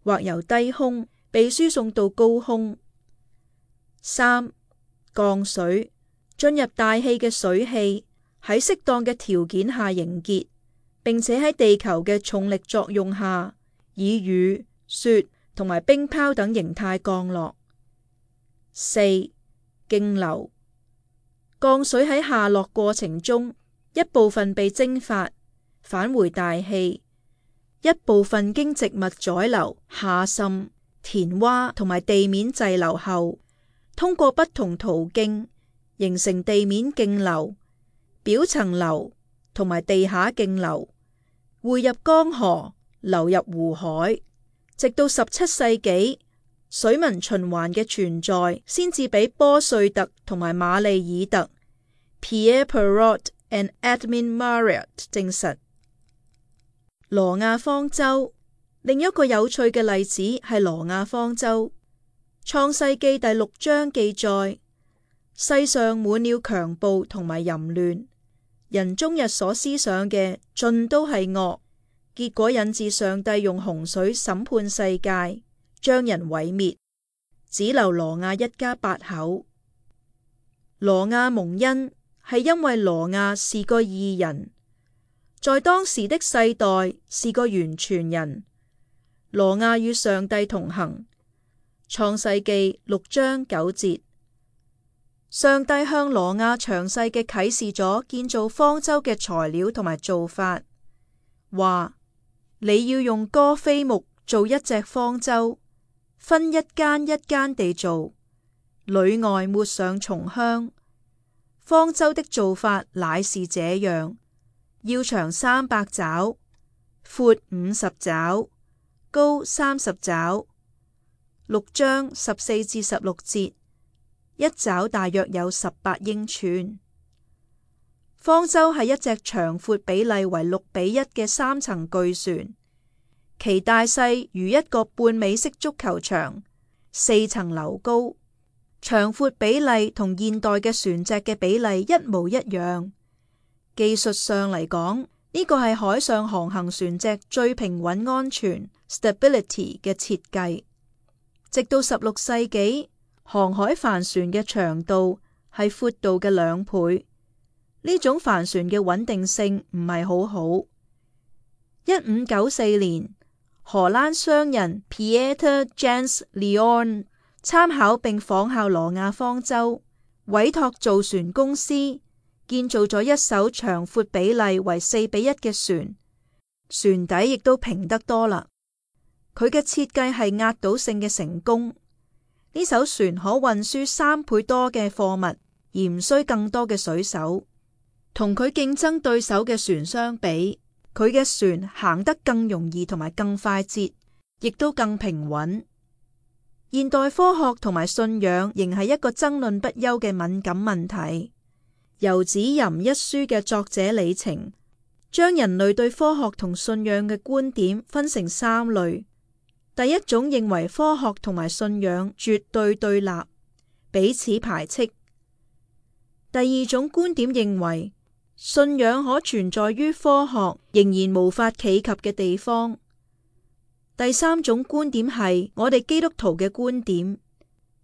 或由低空被輸送到高空。3. 降水，進入大氣嘅水氣喺適當嘅條件下凝結，並且喺地球嘅重力作用下，以雨、雪同埋冰泡等形態降落。4. 徑流，降水喺下落過程中，一部分被蒸發，返回大氣，一部分經植物宰流、下滲、填窪同埋地面滯留後，通過不同途徑形成地面徑流、表層流同埋地下徑流，匯入江河，流入湖海，直到17世紀，水文循環嘅存在先至俾波瑞特同埋馬利爾特 Pierre Perrault and Edmund Marriott 證實。挪亞方舟，另一個有趣嘅例子係挪亞方舟。創世記第6章記載，世上滿了強暴同埋淫亂，人終日所思想嘅盡都係惡，結果引致上帝用洪水審判世界，將人毀滅，只留挪亞一家8口。挪亞蒙恩係因為挪亞是個義人，在當時的世代是個完全人。挪亞與上帝同行。創世記6章9節，上帝向挪亞詳細嘅啟示咗建造方舟嘅材料同埋做法，話你要用歌斐木做一隻方舟，分一間一間地做，裏外抹上松香。方舟的做法乃是這樣，要長300肘，闊50肘，高30肘。6章14至16節，一肘大約有18英寸。方舟係一隻長闊比例為6:1嘅3層巨船，其大細如一個半美式足球場，4層樓高，長闊比例同現代嘅船隻嘅比例一模一樣。技術上嚟講，呢個係海上航行船隻最平穩安全 stability 嘅設計。直到16世紀，航海帆船嘅長度係闊度嘅2倍。呢種帆船嘅穩定性唔係好好。1594年，荷蘭商人 Pieter Jans Leon 參考並仿效挪亞方舟，委託造船公司建造咗一艘長闊比例為4:1嘅船，船底亦都平得多啦。佢嘅設計係壓倒性嘅成功。呢艘船可運輸3倍多嘅貨物，而唔需更多嘅水手。同佢競爭對手嘅船相比，佢嘅船行得更容易同埋更快捷，亦都更平穩。現代科學同埋信仰仍係一個爭論不休嘅敏感問題。遊子吟一書嘅作者李澄將人類對科學同信仰嘅觀點分成3類。第一種認為科學同埋信仰絕對對立，彼此排斥。第二種觀點認為信仰可存在於科學仍然無法企及嘅地方。第三種觀點係我哋基督徒嘅觀點，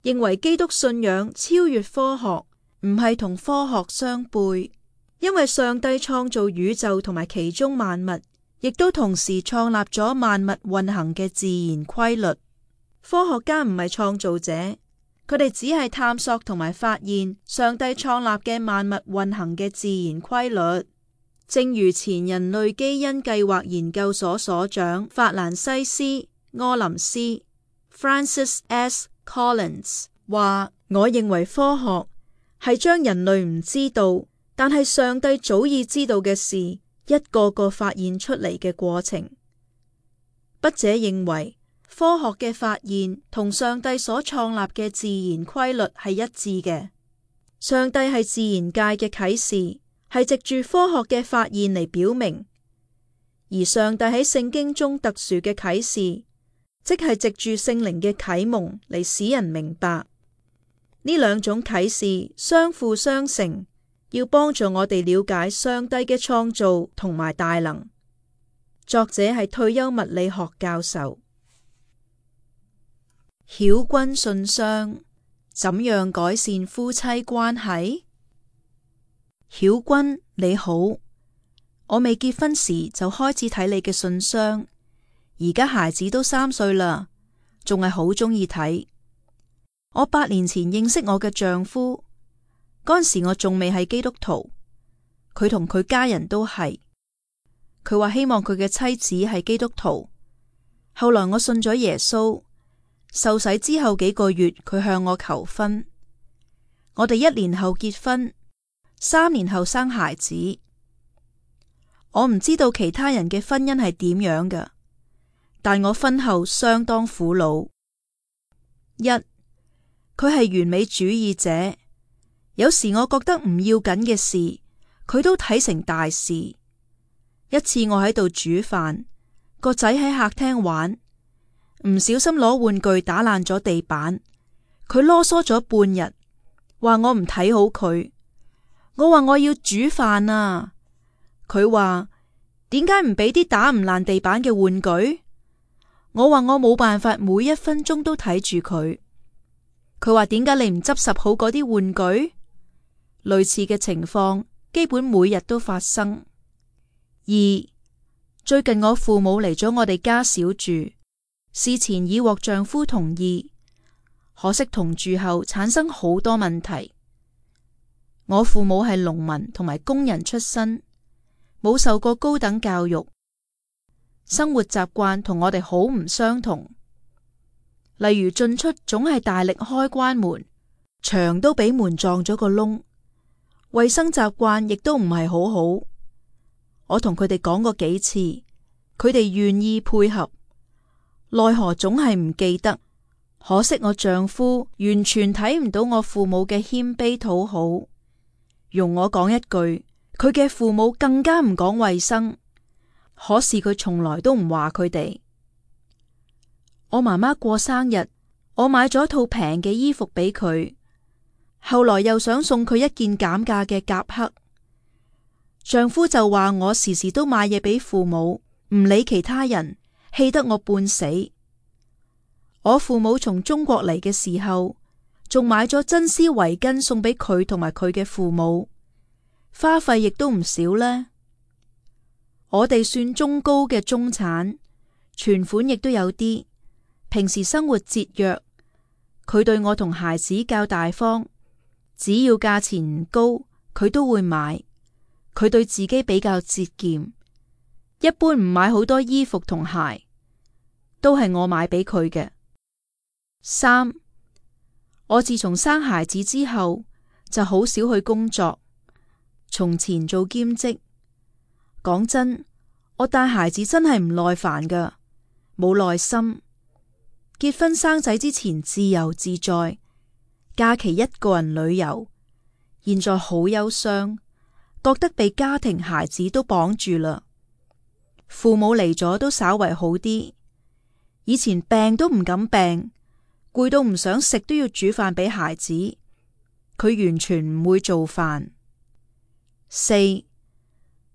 認為基督信仰超越科學，唔係同科學相悖，因為上帝創造宇宙同埋其中萬物，亦都同時創立咗萬物運行嘅自然規律。科學家唔係創造者，佢哋只係探索同埋發現上帝創立嘅萬物運行嘅自然規律。正如前人類基因計劃研究所所長法蘭西斯柯林斯 Francis S. Collins 話，我認為科學係將人類唔知道，但係上帝早已知道嘅事，一個個發現出嚟嘅過程。筆者認為科學嘅發現同上帝所創立嘅自然規律係一致嘅。上帝係自然界嘅啟示，係藉住科學嘅發現嚟表明，而上帝喺聖經中特殊嘅啟示，即係藉住聖靈嘅啟蒙嚟使人明白。呢兩種啟示相輔相成，要幫助我哋了解上帝嘅創造同埋大能。作者係退休物理學教授。曉君信箱，怎樣改善夫妻關係？曉君你好，我未結婚時就開始睇你嘅信箱，而家孩子都3歲啦，仲係好鍾意睇。我8年前認識我嘅丈夫，嗰陣時我仲未係基督徒，佢同佢家人都係。佢話希望佢嘅妻子係基督徒。後來我信咗耶穌，受洗之後幾個月，佢向我求婚。我哋1年後結婚，3年後生孩子。我唔知道其他人嘅婚姻係點樣㗎，但我婚後相當苦惱。1，佢係完美主義者，有時我覺得唔要緊嘅事，佢都睇成大事。一次我喺度煮飯，個仔喺客廳玩，唔小心攞玩具打爛咗地板，佢囉嗦咗半日，話我唔睇好佢。我話我要煮飯啊，佢話點解唔俾啲打唔爛地板嘅玩具？我話我冇辦法每1分鐘都睇住佢。佢話點解你唔執拾好嗰啲玩具？類似嘅情況基本每日都發生。2，最近我父母嚟咗我哋家小住，事前已獲丈夫同意，可惜同住後產生好多問題。我父母係農民同埋工人出身，冇受過高等教育，生活習慣同我哋好唔相同。例如進出總係大力開關門，牆都俾門撞咗個窿，衛生習慣亦都唔係好好。我同佢哋講過幾次，佢哋願意配合，奈何總係唔記得。可惜我丈夫完全睇唔到我父母嘅謙卑討好。容我講一句，佢嘅父母更加唔講衛生，可是佢從來都唔話佢哋。我媽媽過生日，我買咗套平嘅衣服俾佢，後來又想送佢一件減價嘅夾克。丈夫就話我時時都買嘢俾父母，唔理其他人，氣得我半死。我父母從中國嚟嘅時候，仲買咗真絲圍巾送俾佢同埋佢嘅父母，花費亦都唔少呢。我哋算中高嘅中產，存款亦都有啲。平時生活節約，佢對我同孩子較大方，只要價錢唔高，佢都會買。佢對自己比較節儉，一般唔買好多衣服同鞋，都係我買俾佢嘅。3，我自從生孩子之後，就好少去工作。從前做兼職，講真，我帶孩子真係唔耐煩㗎，冇耐心。結婚生仔之前自由自在，假期一個人旅遊，現在好憂傷，覺得被家庭孩子都綁住啦。父母嚟咗都稍為好啲，以前病都唔敢病，攰到唔想食都要煮飯俾孩子，佢完全唔會做飯。4，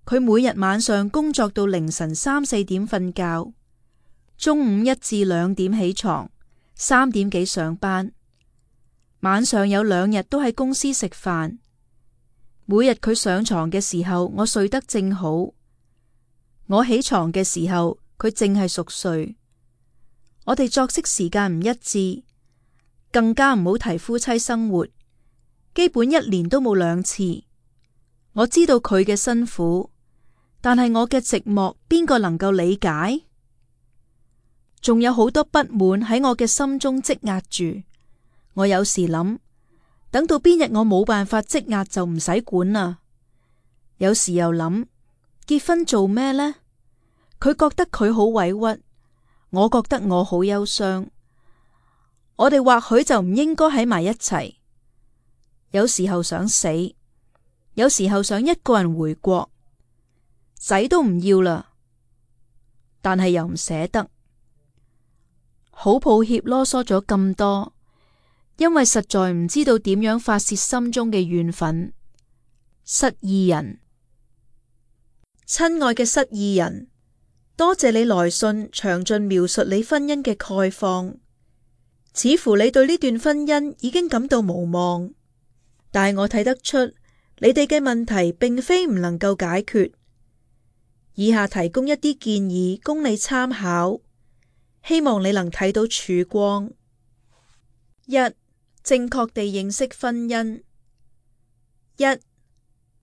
佢每日晚上工作到凌晨3、4點瞓覺，中午1至2點起床，3點幾上班，晚上有2日都喺公司食飯。每日佢上床嘅時候，我睡得正好；我起床嘅時候，佢正係熟睡。我哋作息時間唔一致，更加唔好提夫妻生活，基本1年都冇2次。我知道佢嘅辛苦，但係我嘅寂寞，邊個能夠理解？仲有好多不滿喺我嘅心中積壓住。我有時諗，等到邊日我冇辦法積壓就唔使管啦。有時又諗，結婚做咩呢？佢覺得佢好委屈，我覺得我好憂傷。我哋或許就唔應該喺埋一齊。有時候想死，有時候想一個人回國，仔都唔要啦，但係又唔捨得。好抱歉囉嗦咗咁多，因為實在唔知道點樣發洩心中嘅怨憤。失意人。親愛嘅失意人，多謝你來信詳盡描述你婚姻嘅概況，似乎你對呢段婚姻已經感到無望，但我睇得出你哋嘅問題並非唔能夠解決。以下提供一啲建議供你參考，希望你能睇到曙光。一、正確地認識婚姻。一、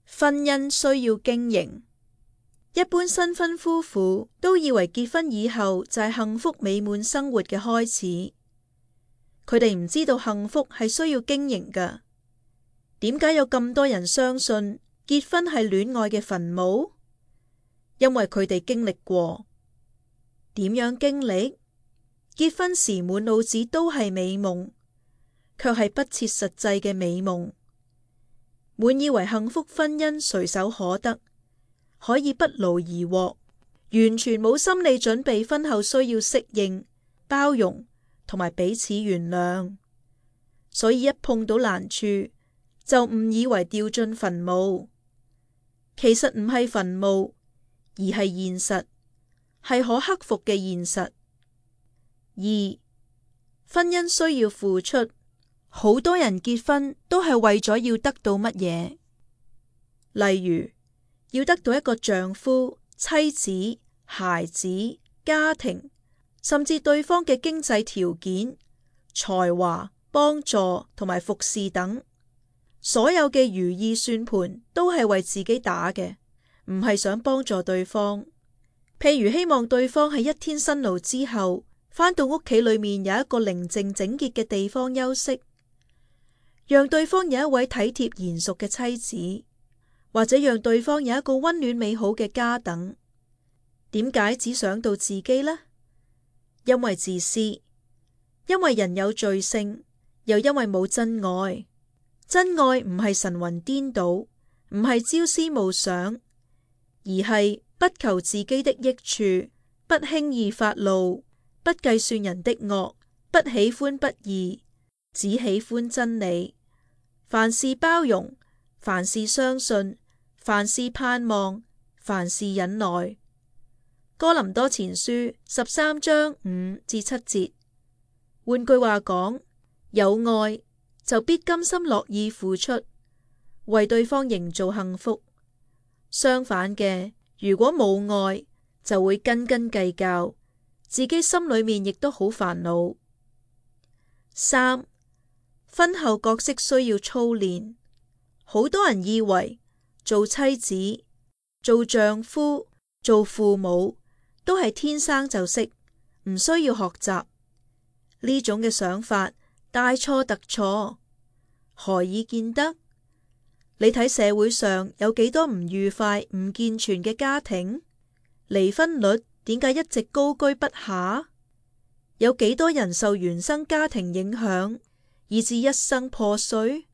婚姻需要經營。一般新婚夫婦都以為結婚以後就係幸福美滿生活嘅開始，佢哋唔知道幸福係需要經營㗎。點解有咁多人相信結婚係戀愛嘅墳墓？因為佢哋經歷過。點樣經歷？結婚時滿腦子都係美夢，卻係不切實際嘅美夢。滿以為幸福婚姻隨手可得，可以不勞而獲，完全冇心理準備婚後需要適應、包容同埋彼此原諒，所以一碰到難處就誤以為掉進墳墓。其實唔係墳墓，而係現實，係可克服嘅現實。二、婚姻需要付出。好多人結婚都係為咗要得到乜嘢？例如要得到一個丈夫、妻子、孩子、家庭，甚至對方嘅經濟條件、才華、幫助同埋服侍等。所有嘅如意算盤都係為自己打嘅，唔係想幫助對方。譬如希望對方喺一天辛勞之後，返到屋企裏面有一個寧靜整潔嘅地方休息，讓對方有一位體貼賢淑嘅妻子，或者讓對方有一個溫暖美好嘅家等。點解只想到自己呢？因為自私，因為人有罪性，又因為冇真愛。真愛唔係神魂顛倒，唔係朝思暮想，而係不求自己的益處，不輕易發怒，不計算人的惡，不喜歡不義，只喜歡真理。凡事包容，凡事相信，凡事盼望，凡事忍耐。哥林多前書13章5至7節。換句話講，有愛就必甘心樂意付出，為對方營造幸福。相反嘅，如果冇愛，就會斤斤計較，自己心裏面亦都好煩惱。三、婚後角色需要操練。好多人以為做妻子、做丈夫、做父母都係天生就識，唔需要學習。呢種嘅想法大錯特錯。何以見得？你睇社會上有幾多唔愉快、唔健全嘅家庭？離婚率點解一直高居不下？有幾多人受原生家庭影響，以致一生破碎？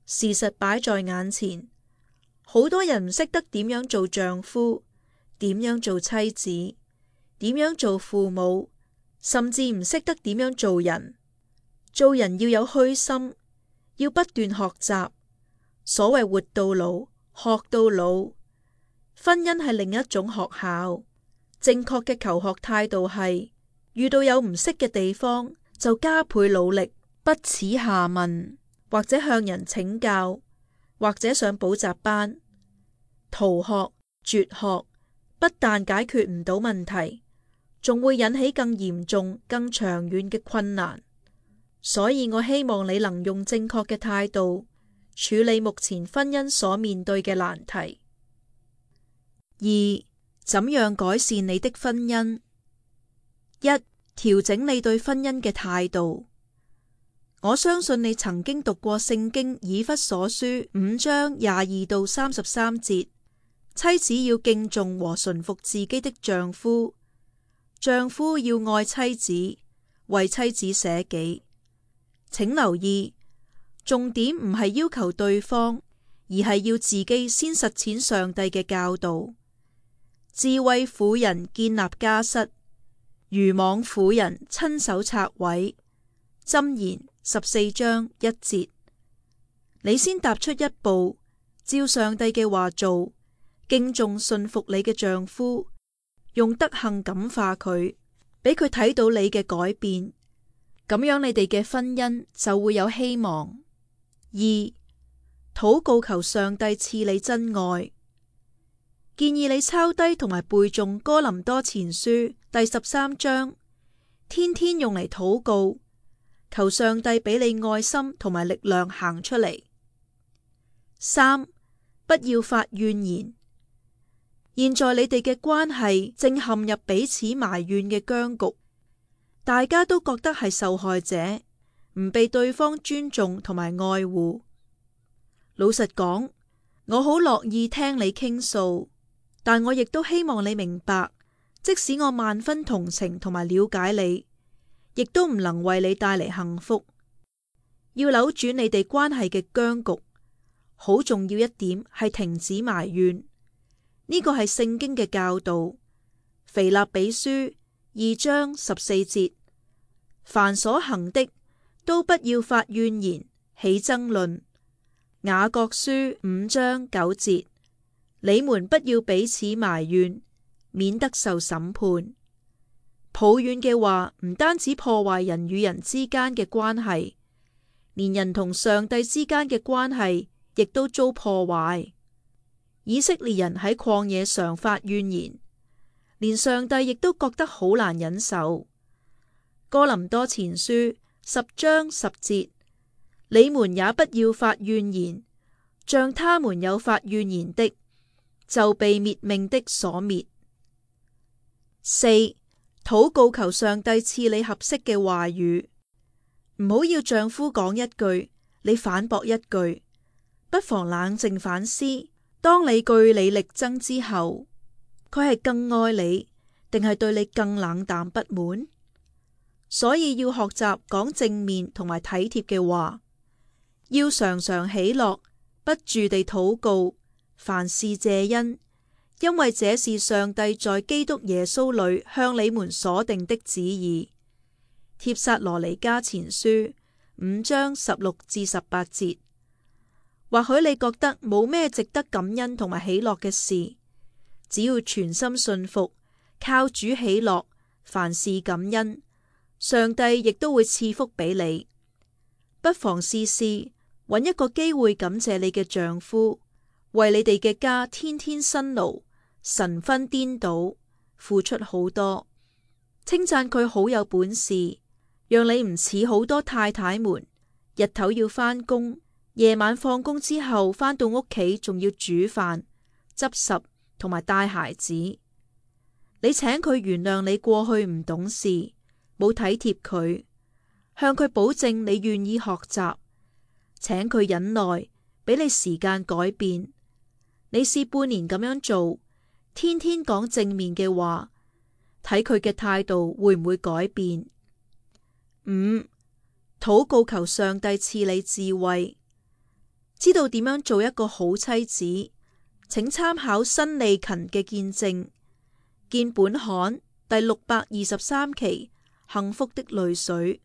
事實擺在眼前，好多人唔識得點樣做丈夫，點樣做妻子，點樣做父母，甚至唔識得點樣做人。做人要有虛心，要不斷學習。所謂活到老，學到老。婚姻係另一種學校。正確嘅求學態度係，遇到有唔識嘅地方，就加倍努力，不恥下問，或者向人請教，或者上補習班。逃學、絕學，不但解決唔到問題，仲會引起更嚴重、更長遠嘅困難。所以我希望你能用正確嘅態度處理目前婚姻所面對嘅難題。二、怎樣改善你的婚姻？一、調整你對婚姻嘅態度。我相信你曾經讀過聖經以弗所書5章22到33節，妻子要敬重和順服自己的丈夫，丈夫要愛妻子，為妻子捨己。請留意，重點唔係要求對方，而係要自己先實踐上帝嘅教導。智慧婦人建立家室，愚妄婦人親手拆毀。箴言14章1節。你先踏出一步，照上帝嘅話做，敬重信服你嘅丈夫，用德行感化佢，俾佢睇到你嘅改變，咁樣你哋嘅婚姻就會有希望。二、禱告求上帝賜你真愛。建議你抄低同埋背誦哥林多前書第13章，天天用嚟禱告，求上帝俾你愛心同埋力量行出嚟。三、不要發怨言。現在你哋嘅關係正陷入彼此埋怨嘅僵局，大家都覺得係受害者，唔被對方尊重同埋愛護。老實講，我好樂意聽你傾訴，但我亦都希望你明白，即使我萬分同情同埋了解你，亦都唔能為你帶嚟幸福。要扭轉你哋關係嘅僵局，好重要一點係停止埋怨。呢個係聖經嘅教導。腓立比書2章14節，凡所行的，都不要發怨言，起爭論。雅各書5章9節，你們不要彼此埋怨，免得受審判。抱怨嘅話唔單止破壞人與人之間嘅關係，連人同上帝之間嘅關係亦都遭破壞。以色列人喺曠野常發怨言，連上帝亦都覺得好難忍受。哥林多前書10章10節，你們也不要發怨言，像他們有發怨言的，就被滅命的所滅。四、禱告求上帝賜你合適嘅話語，唔好要丈夫講一句，你反駁一句，不妨冷靜反思，當你據理力爭之後，佢係更愛你，定係對你更冷淡不滿？所以要學習講正面同埋體貼嘅話，要常常喜樂，不住地禱告，凡事謝恩，因為這是上帝在基督耶穌裏向你們所定的旨意。帖撒羅尼迦前書5章16至18節。或許你覺得冇咩值得感恩同埋喜樂嘅事，只要全心信服，靠主喜樂，凡事感恩，上帝亦都會賜福俾你。不妨試試揾一個機會感謝你嘅丈夫，為你哋嘅家天天辛勞，神魂顛倒，付出好多，稱讚佢好有本事，讓你唔似好多太太們，日頭要返工，夜晚放工之後返到屋企仲要煮飯、執拾同埋帶孩子。你請佢原諒你過去唔懂事，冇體貼佢，向佢保證你願意學習，請佢忍耐，俾你時間改變。你試半年咁樣做，天天講正面嘅話，睇佢嘅態度會唔會改變。五、禱告求上帝賜你智慧，知道點樣做一個好妻子，請參考辛利勤嘅見證，見本刊第623期《幸福的淚水》。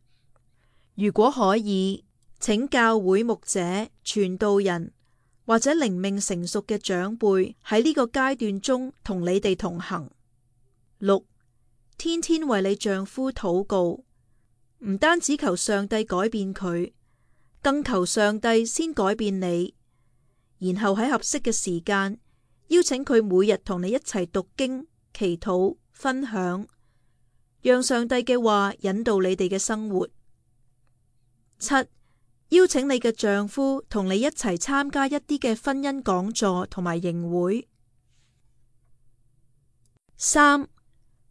如果可以，請教會牧者、傳道人或者靈命成熟嘅長輩喺呢個階段中同你哋同行。六、天天為你丈夫禱告，唔單止求上帝改變佢，更求上帝先改變你，然後喺合適嘅時間邀請佢每日同你一齊讀經、祈禱、分享，讓上帝嘅話引導你哋嘅生活。七、邀請你嘅丈夫同你一齊參加一啲嘅婚姻講座同埋營會。三、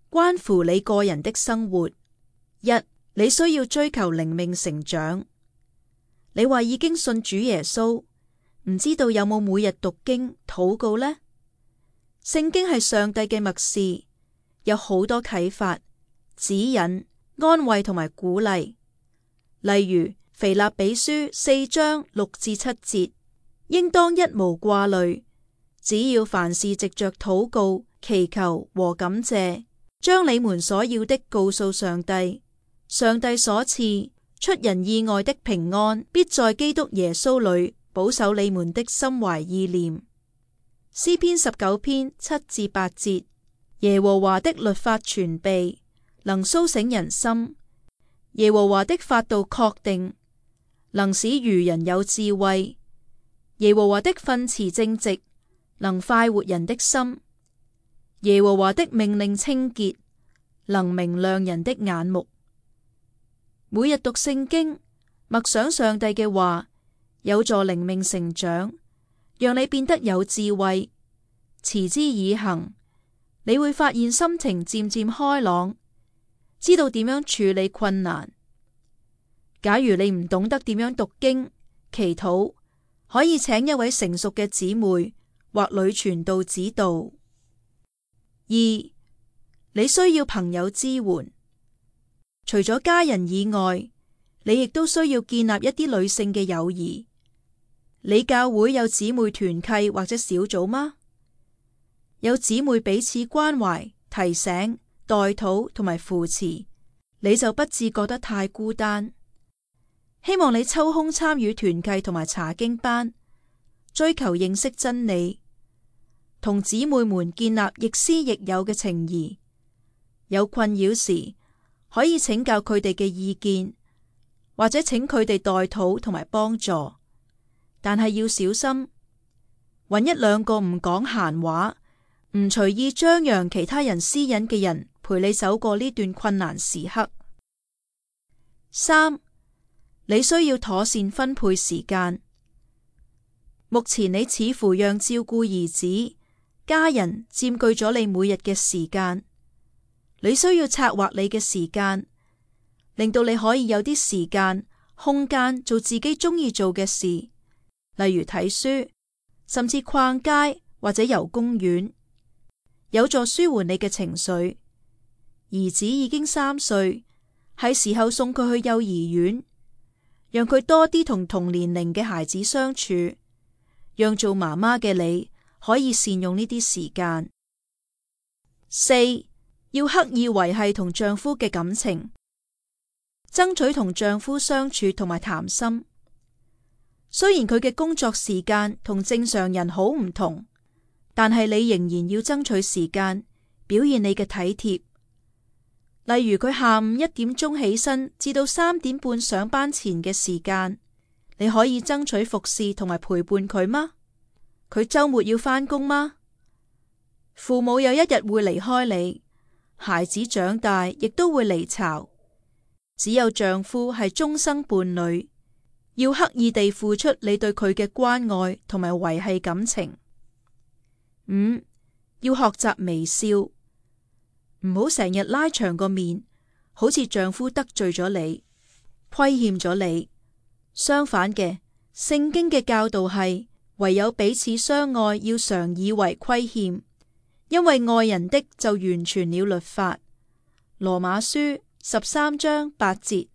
關乎你個人的生活。一、你需要追求靈命成長。你話已經信主耶穌，唔知道有冇每日讀經、禱告呢？聖經係上帝嘅默示，有好多啟發、指引、安慰同埋鼓勵。例如腓立比書4章6至7節，應當一無掛慮，只要凡事藉着禱告、祈求和感謝，將你們所要的告訴上帝。上帝所賜出人意外的平安，必在基督耶穌裏保守你們的心懷意念。詩篇19篇7至8節，耶和華的律法全備，能蘇醒人心。耶和華的法度確定，能使愚人有智慧。耶和華的訓詞正直，能快活人的心。耶和華的命令清潔，能明亮人的眼目。每日讀聖經，默想上帝嘅話，有助靈命成長，讓你變得有智慧。持之以恆，你會發現心情漸漸開朗，知道點樣處理困難。假如你唔懂得點樣讀經、祈禱，可以請一位成熟嘅姊妹或女傳道指導。2. 你需要朋友支援。除咗家人以外，你亦都需要建立一啲女性嘅友誼。你教會有姊妹團契或者小組嗎？有姊妹彼此關懷、提醒、代禱同埋扶持，你就不致覺得太孤單。希望你抽空參與團契同埋查經班，追求認識真理，同姊妹們建立亦師亦友嘅情誼。有困擾時，可以請教佢哋嘅意見，或者請佢哋代禱同埋幫助。但係要小心，揾一兩個唔講閒話，唔隨意張揚其他人私隱嘅人，陪你走過呢段困難時刻。3. 你需要妥善分配時間。目前你似乎讓照顧兒子、家人佔據咗你每日嘅時間。你需要策劃你嘅時間，令到你可以有啲時間、空間做自己中意做嘅事，例如睇書，甚至逛街或者遊公園，有助舒緩你嘅情緒。兒子已經3歲，係時候送佢去幼兒園，讓佢多啲同同年齡嘅孩子相處，讓做媽媽嘅你可以善用呢啲時間。4. 要刻意維繫同丈夫嘅感情，爭取同丈夫相處同埋談心。雖然佢嘅工作時間同正常人好唔同，但係你仍然要爭取時間，表現你嘅體貼。例如佢下午1點鐘起身，至到3點半上班前嘅時間，你可以爭取服侍同埋陪伴佢嗎？佢周末要返工嗎？父母有一日會離開你，孩子長大亦都會離巢，只有丈夫係終生伴侶，要刻意地付出你對佢嘅關愛同埋維繫感情。5. 要學習微笑，唔好成日拉長個面，好似丈夫得罪咗你，虧欠咗你。相反嘅，聖經嘅教導係唯有彼此相愛，要常以為虧欠。因為愛人的就完全了律法。羅馬書13章8節。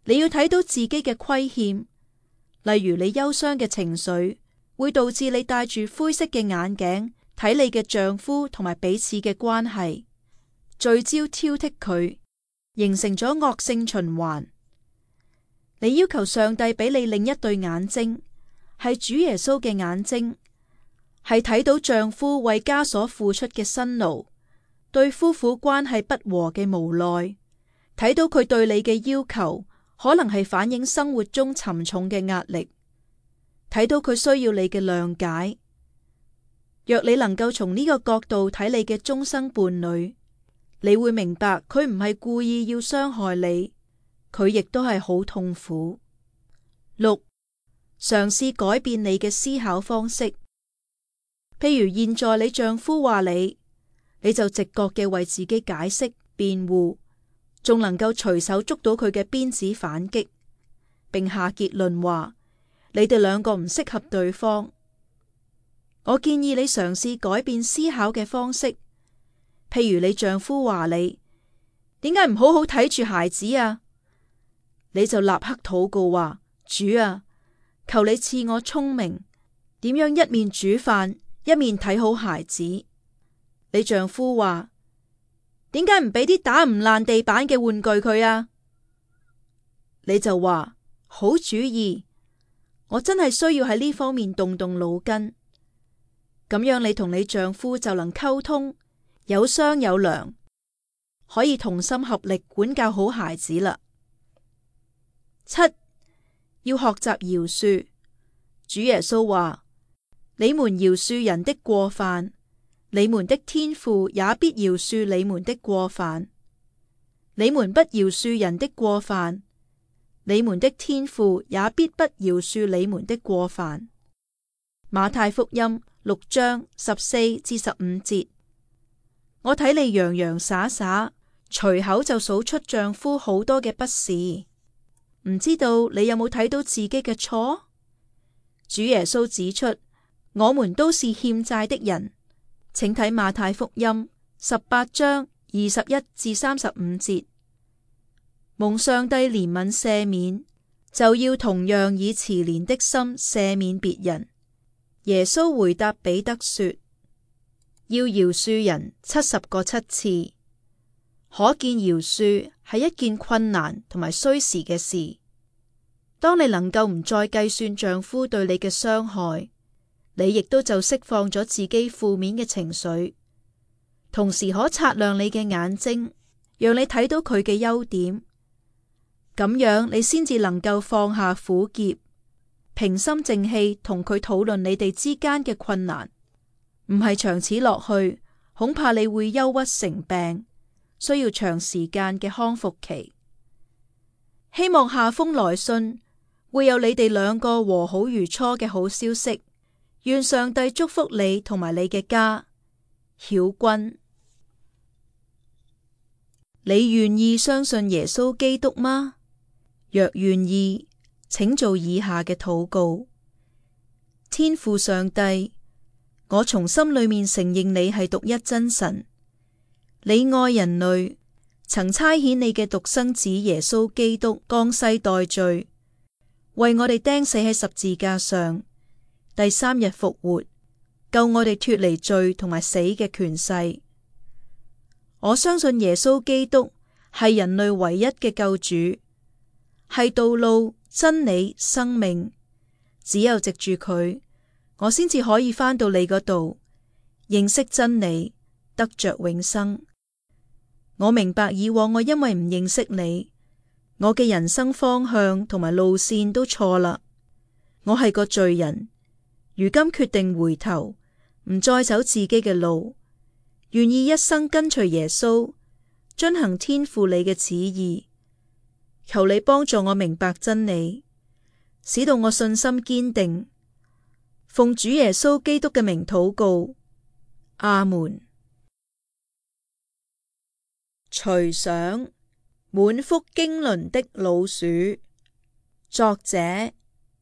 你要睇到自己嘅虧欠，例如你憂傷嘅情緒會導致你戴住灰色嘅眼鏡睇你嘅丈夫同埋彼此嘅關係，聚焦挑剔佢，形成咗惡性循環。你要求上帝俾你另一對眼睛，係主耶穌嘅眼睛，係睇到丈夫為家所付出嘅辛勞，對夫婦關係不和嘅無奈，睇到佢對你嘅要求可能係反映生活中沉重嘅壓力，睇到佢需要你嘅諒解。若你能夠從呢個角度睇你嘅終生伴侶，你會明白佢唔係故意要傷害你，佢亦都係好痛苦。6. 嘗試改變你嘅思考方式。譬如現在你丈夫話你就直覺嘅為自己解釋辯護，仲能夠隨手捉到佢嘅鞭子反擊，並下結論話你哋兩個唔適合對方。我建議你嘗試改變思考嘅方式，譬如你丈夫話你點解唔好好睇住孩子啊？你就立刻禱告話，主啊，求你賜我聰明，點樣一面煮飯一面睇好孩子。你丈夫話，點解唔俾啲打唔爛地板嘅玩具佢啊？你就話，好主意，我真係需要喺呢方面動動腦筋。咁樣你同你丈夫就能溝通，有商有量，可以同心合力管教好孩子啦。七，要學習饒恕。主耶穌話：你們饒恕人的過犯，你們的天父也必饒恕你們的過犯。你們不饒恕人的過犯，你們的天父也必不饒恕你們的過犯。馬太福音6章14至15節。我睇你洋洋灑灑，隨口就數出丈夫好多嘅不是，唔知道你有冇睇到自己嘅錯？主耶穌指出，我們都是欠債的人，請睇馬太福音18章21至35節。蒙上帝憐憫赦免，就要同樣以慈憐的心赦免別人。耶穌回答彼得說：要饒恕人70個7次。可見饒恕係一件困難同埋需時嘅事。當你能夠唔再計算丈夫對你嘅傷害，你亦都就釋放咗自己負面嘅情緒，同時可擦亮你嘅眼睛，讓你睇到佢嘅優點。咁樣你先至能夠放下苦澀，平心靜氣同佢討論你哋之間嘅困難。唔係長此落去，恐怕你會憂鬱成病，需要長時間嘅康復期。希望下封來信會有你哋兩個和好如初嘅好消息。願上帝祝福你同埋你嘅家。曉君。你願意相信耶穌基督嗎？若願意，請做以下嘅禱告。天父上帝，我從心裏面承認你係獨一真神，你愛人類，曾差遣你嘅獨生子耶穌基督降世代罪，為我哋釘死喺十字架上，第3日復活，救我哋脫離罪同埋死嘅權勢。我相信耶穌基督係人類唯一嘅救主，係道路、真理、生命。只有藉住佢，我先至可以返到你嗰度，認識真理，得着永生。我明白以往我因為唔認識你，我嘅人生方向同埋路線都錯啦。我係個罪人，如今決定回頭，唔再走自己嘅路，願意一生跟隨耶穌，遵行天父你嘅旨意。求你幫助我明白真理，使到我信心堅定。奉主耶穌基督嘅名禱告，阿門。隨想滿腹經綸的老鼠，作者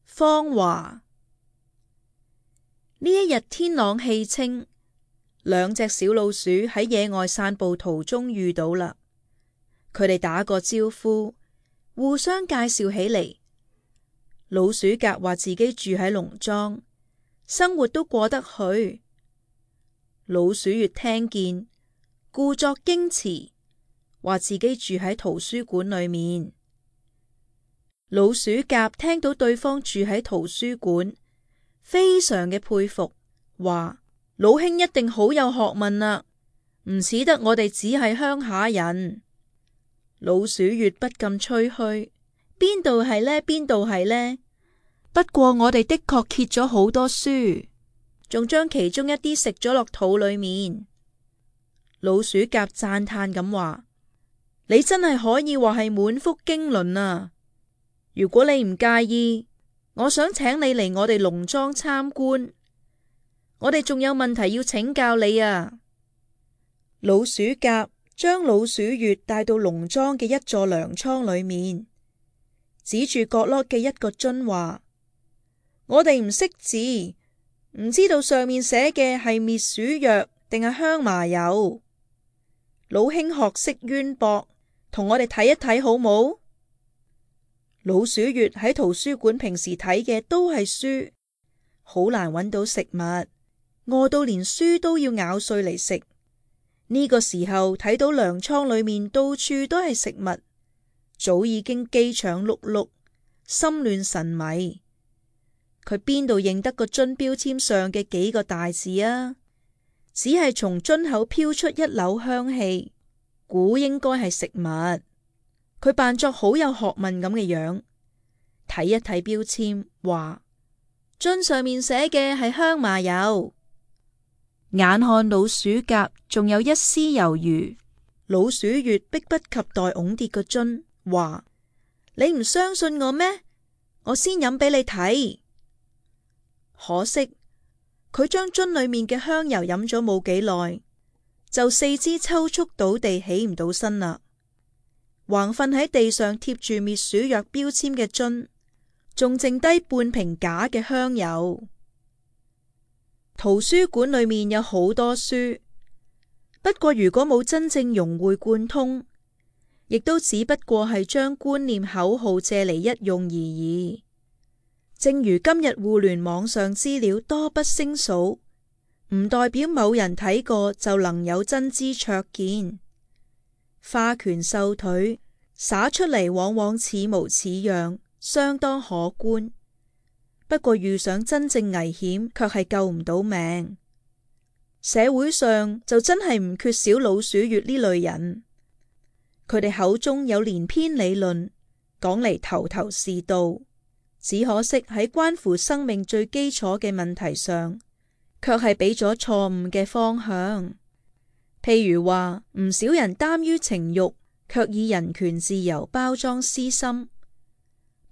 方華。呢一日天朗氣清，兩隻小老鼠喺野外散步途中遇到啦。佢哋打個招呼，互相介紹起嚟。老鼠甲話自己住喺農莊，生活都過得去。老鼠乙聽見，故作矜持，話自己住喺圖書館裏面。老鼠甲聽到對方住喺圖書館，非常嘅佩服，話老兄一定好有學問啦，唔似得我哋只係鄉下人。老鼠乙不禁吹噓，邊度係呢？邊度係呢？不過我哋的確揭咗好多書，仲將其中一啲食咗落肚裏面。老鼠甲讚嘆咁話：你真係可以話係滿腹經綸啊！如果你唔介意，我想請你嚟我哋農莊參觀。我哋仲有問題要請教你啊！老鼠甲將老鼠乙帶到農莊嘅一座糧倉裏面，指住角落嘅一個樽話：我哋唔識字，唔知道上面寫嘅係滅鼠藥定係香麻油。老兄學識淵博，同我哋睇一睇好冇？老鼠乙喺圖書館平時睇嘅都係書，好難揾到食物，餓到連書都要咬碎嚟食。呢個時候睇到糧倉裏面到處都係食物，早已經飢腸轆轆，心亂神迷。佢邊度認得個樽標籤上嘅幾個大字啊？只係從樽口飄出一縷香氣，估應該係食物。佢扮作好有學問咁嘅樣，睇一睇標籤，話樽上面寫嘅係香麻油。眼看老鼠甲仲有一絲猶豫，老鼠乙迫不及待擁跌個樽，話你唔相信我咩？我先飲俾你睇。可惜佢將樽裏面嘅香油飲咗冇幾耐，就四肢抽搐倒地，起唔到身啦。橫瞓喺地上貼住滅鼠藥標籤嘅樽，仲剩低半瓶假嘅香油。圖書館裏面有好多書，不過如果冇真正融會貫通，亦都只不過係將觀念口號借嚟一用而已。正如今日互聯網上資料多不勝數，唔代表某人睇過就能有真知灼見。花拳繡腿灑出嚟，往往似模似樣，相當可觀。不過遇上真正危險，卻係救唔到命。社會上就真係唔缺少老鼠乙呢類人，佢哋口中有連篇理論，講嚟頭頭是道，只可惜喺關乎生命最基礎嘅問題上，卻係俾咗錯誤嘅方向。譬如話，唔少人耽於情慾，卻以人權自由包裝私心，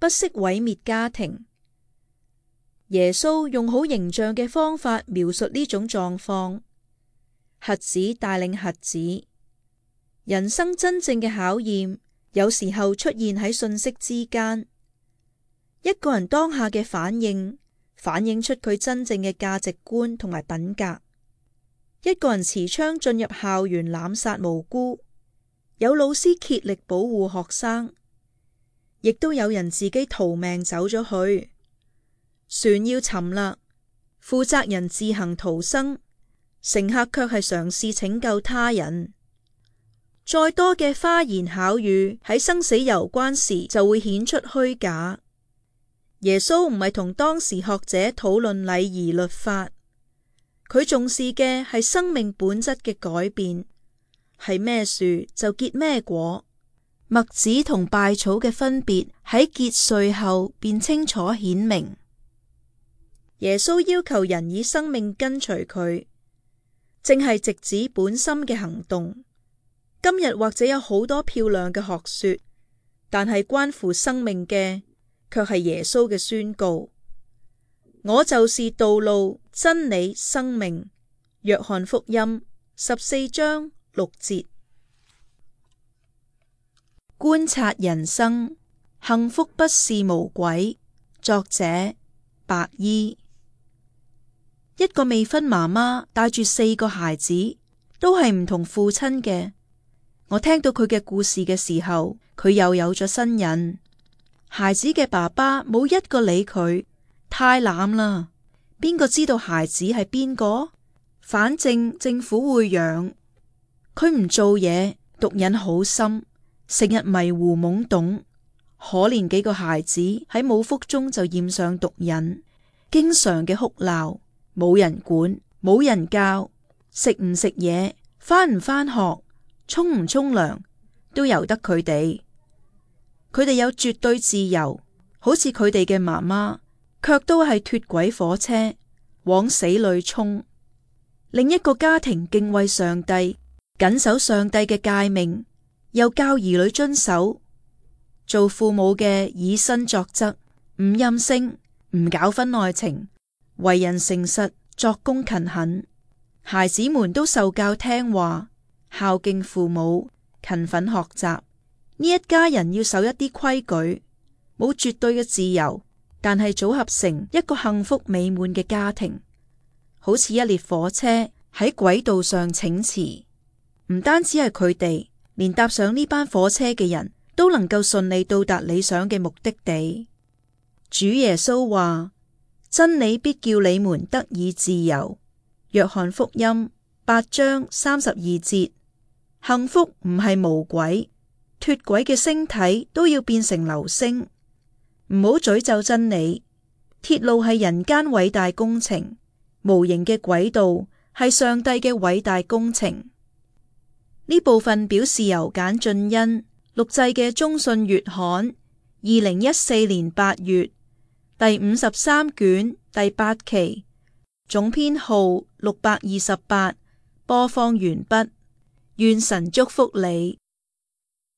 不惜毀滅家庭。耶穌用好形象嘅方法描述呢種狀況，瞎子帶領瞎子。人生真正嘅考驗，有時候出現喺信息之間。一個人當下嘅反應，反映出佢真正嘅價值觀同埋品格。一個人持槍進入校園濫殺無辜，有老師竭力保護學生，亦都有人自己逃命走咗去。船要沉啦，負責人自行逃生，乘客卻係嘗試拯救他人。再多嘅花言巧語喺生死攸關時就會顯出虛假。耶穌唔係同當時學者討論禮儀律法，佢重視嘅係生命本質嘅改變，係咩樹就結咩果。麥子同稗草嘅分別喺結穗後便清楚顯明。耶穌要求人以生命跟隨佢，正係直指本心嘅行動。今日或者有好多漂亮嘅學說，但係關乎生命嘅，卻係耶穌嘅宣告：我就是道路、真理、生命。約翰福音14章6節。觀察人生，幸福不是無鬼。作者白衣。一個未婚媽媽帶住4個孩子，都係唔同父親嘅。我聽到佢嘅故事嘅時候，佢又有咗身孕。孩子嘅爸爸冇一個理佢，太懶啦。邊個知道孩子係邊個？反正政府會養。佢唔做嘢，毒癮好深，成日迷糊懵懂。可憐幾個孩子喺母腹中就染上毒癮，經常嘅哭鬧。冇人管，冇人教，食唔食嘢，返唔返學，沖唔沖涼，都由得佢哋。佢哋有絕對自由，好似佢哋嘅媽媽，卻都係脫軌火車，往死裏衝。另一個家庭敬畏上帝，謹守上帝嘅誡命，又教兒女遵守。做父母嘅以身作則，唔任性，唔搞婚外情。為人誠實，作工勤懇，孩子們都受教聽話，孝敬父母，勤奮學習。呢一家人要守一啲規矩，冇絕對嘅自由，但係組合成一個幸福美滿嘅家庭，好似一列火車喺軌道上請馳。唔單止係佢哋，連搭上呢班火車嘅人都能夠順利到達理想嘅目的地。主耶穌話：真理必叫你們得以自由。約翰福音8章32節。幸福唔係無軌，脫軌嘅星體都要變成流星。唔好詛咒真理，鐵路係人間偉大工程，無形嘅軌道係上帝嘅偉大工程。呢部分表示由簡俊恩錄製嘅中信月刊2014年8月第53卷第8期，總編號628，播放完畢。願神祝福你。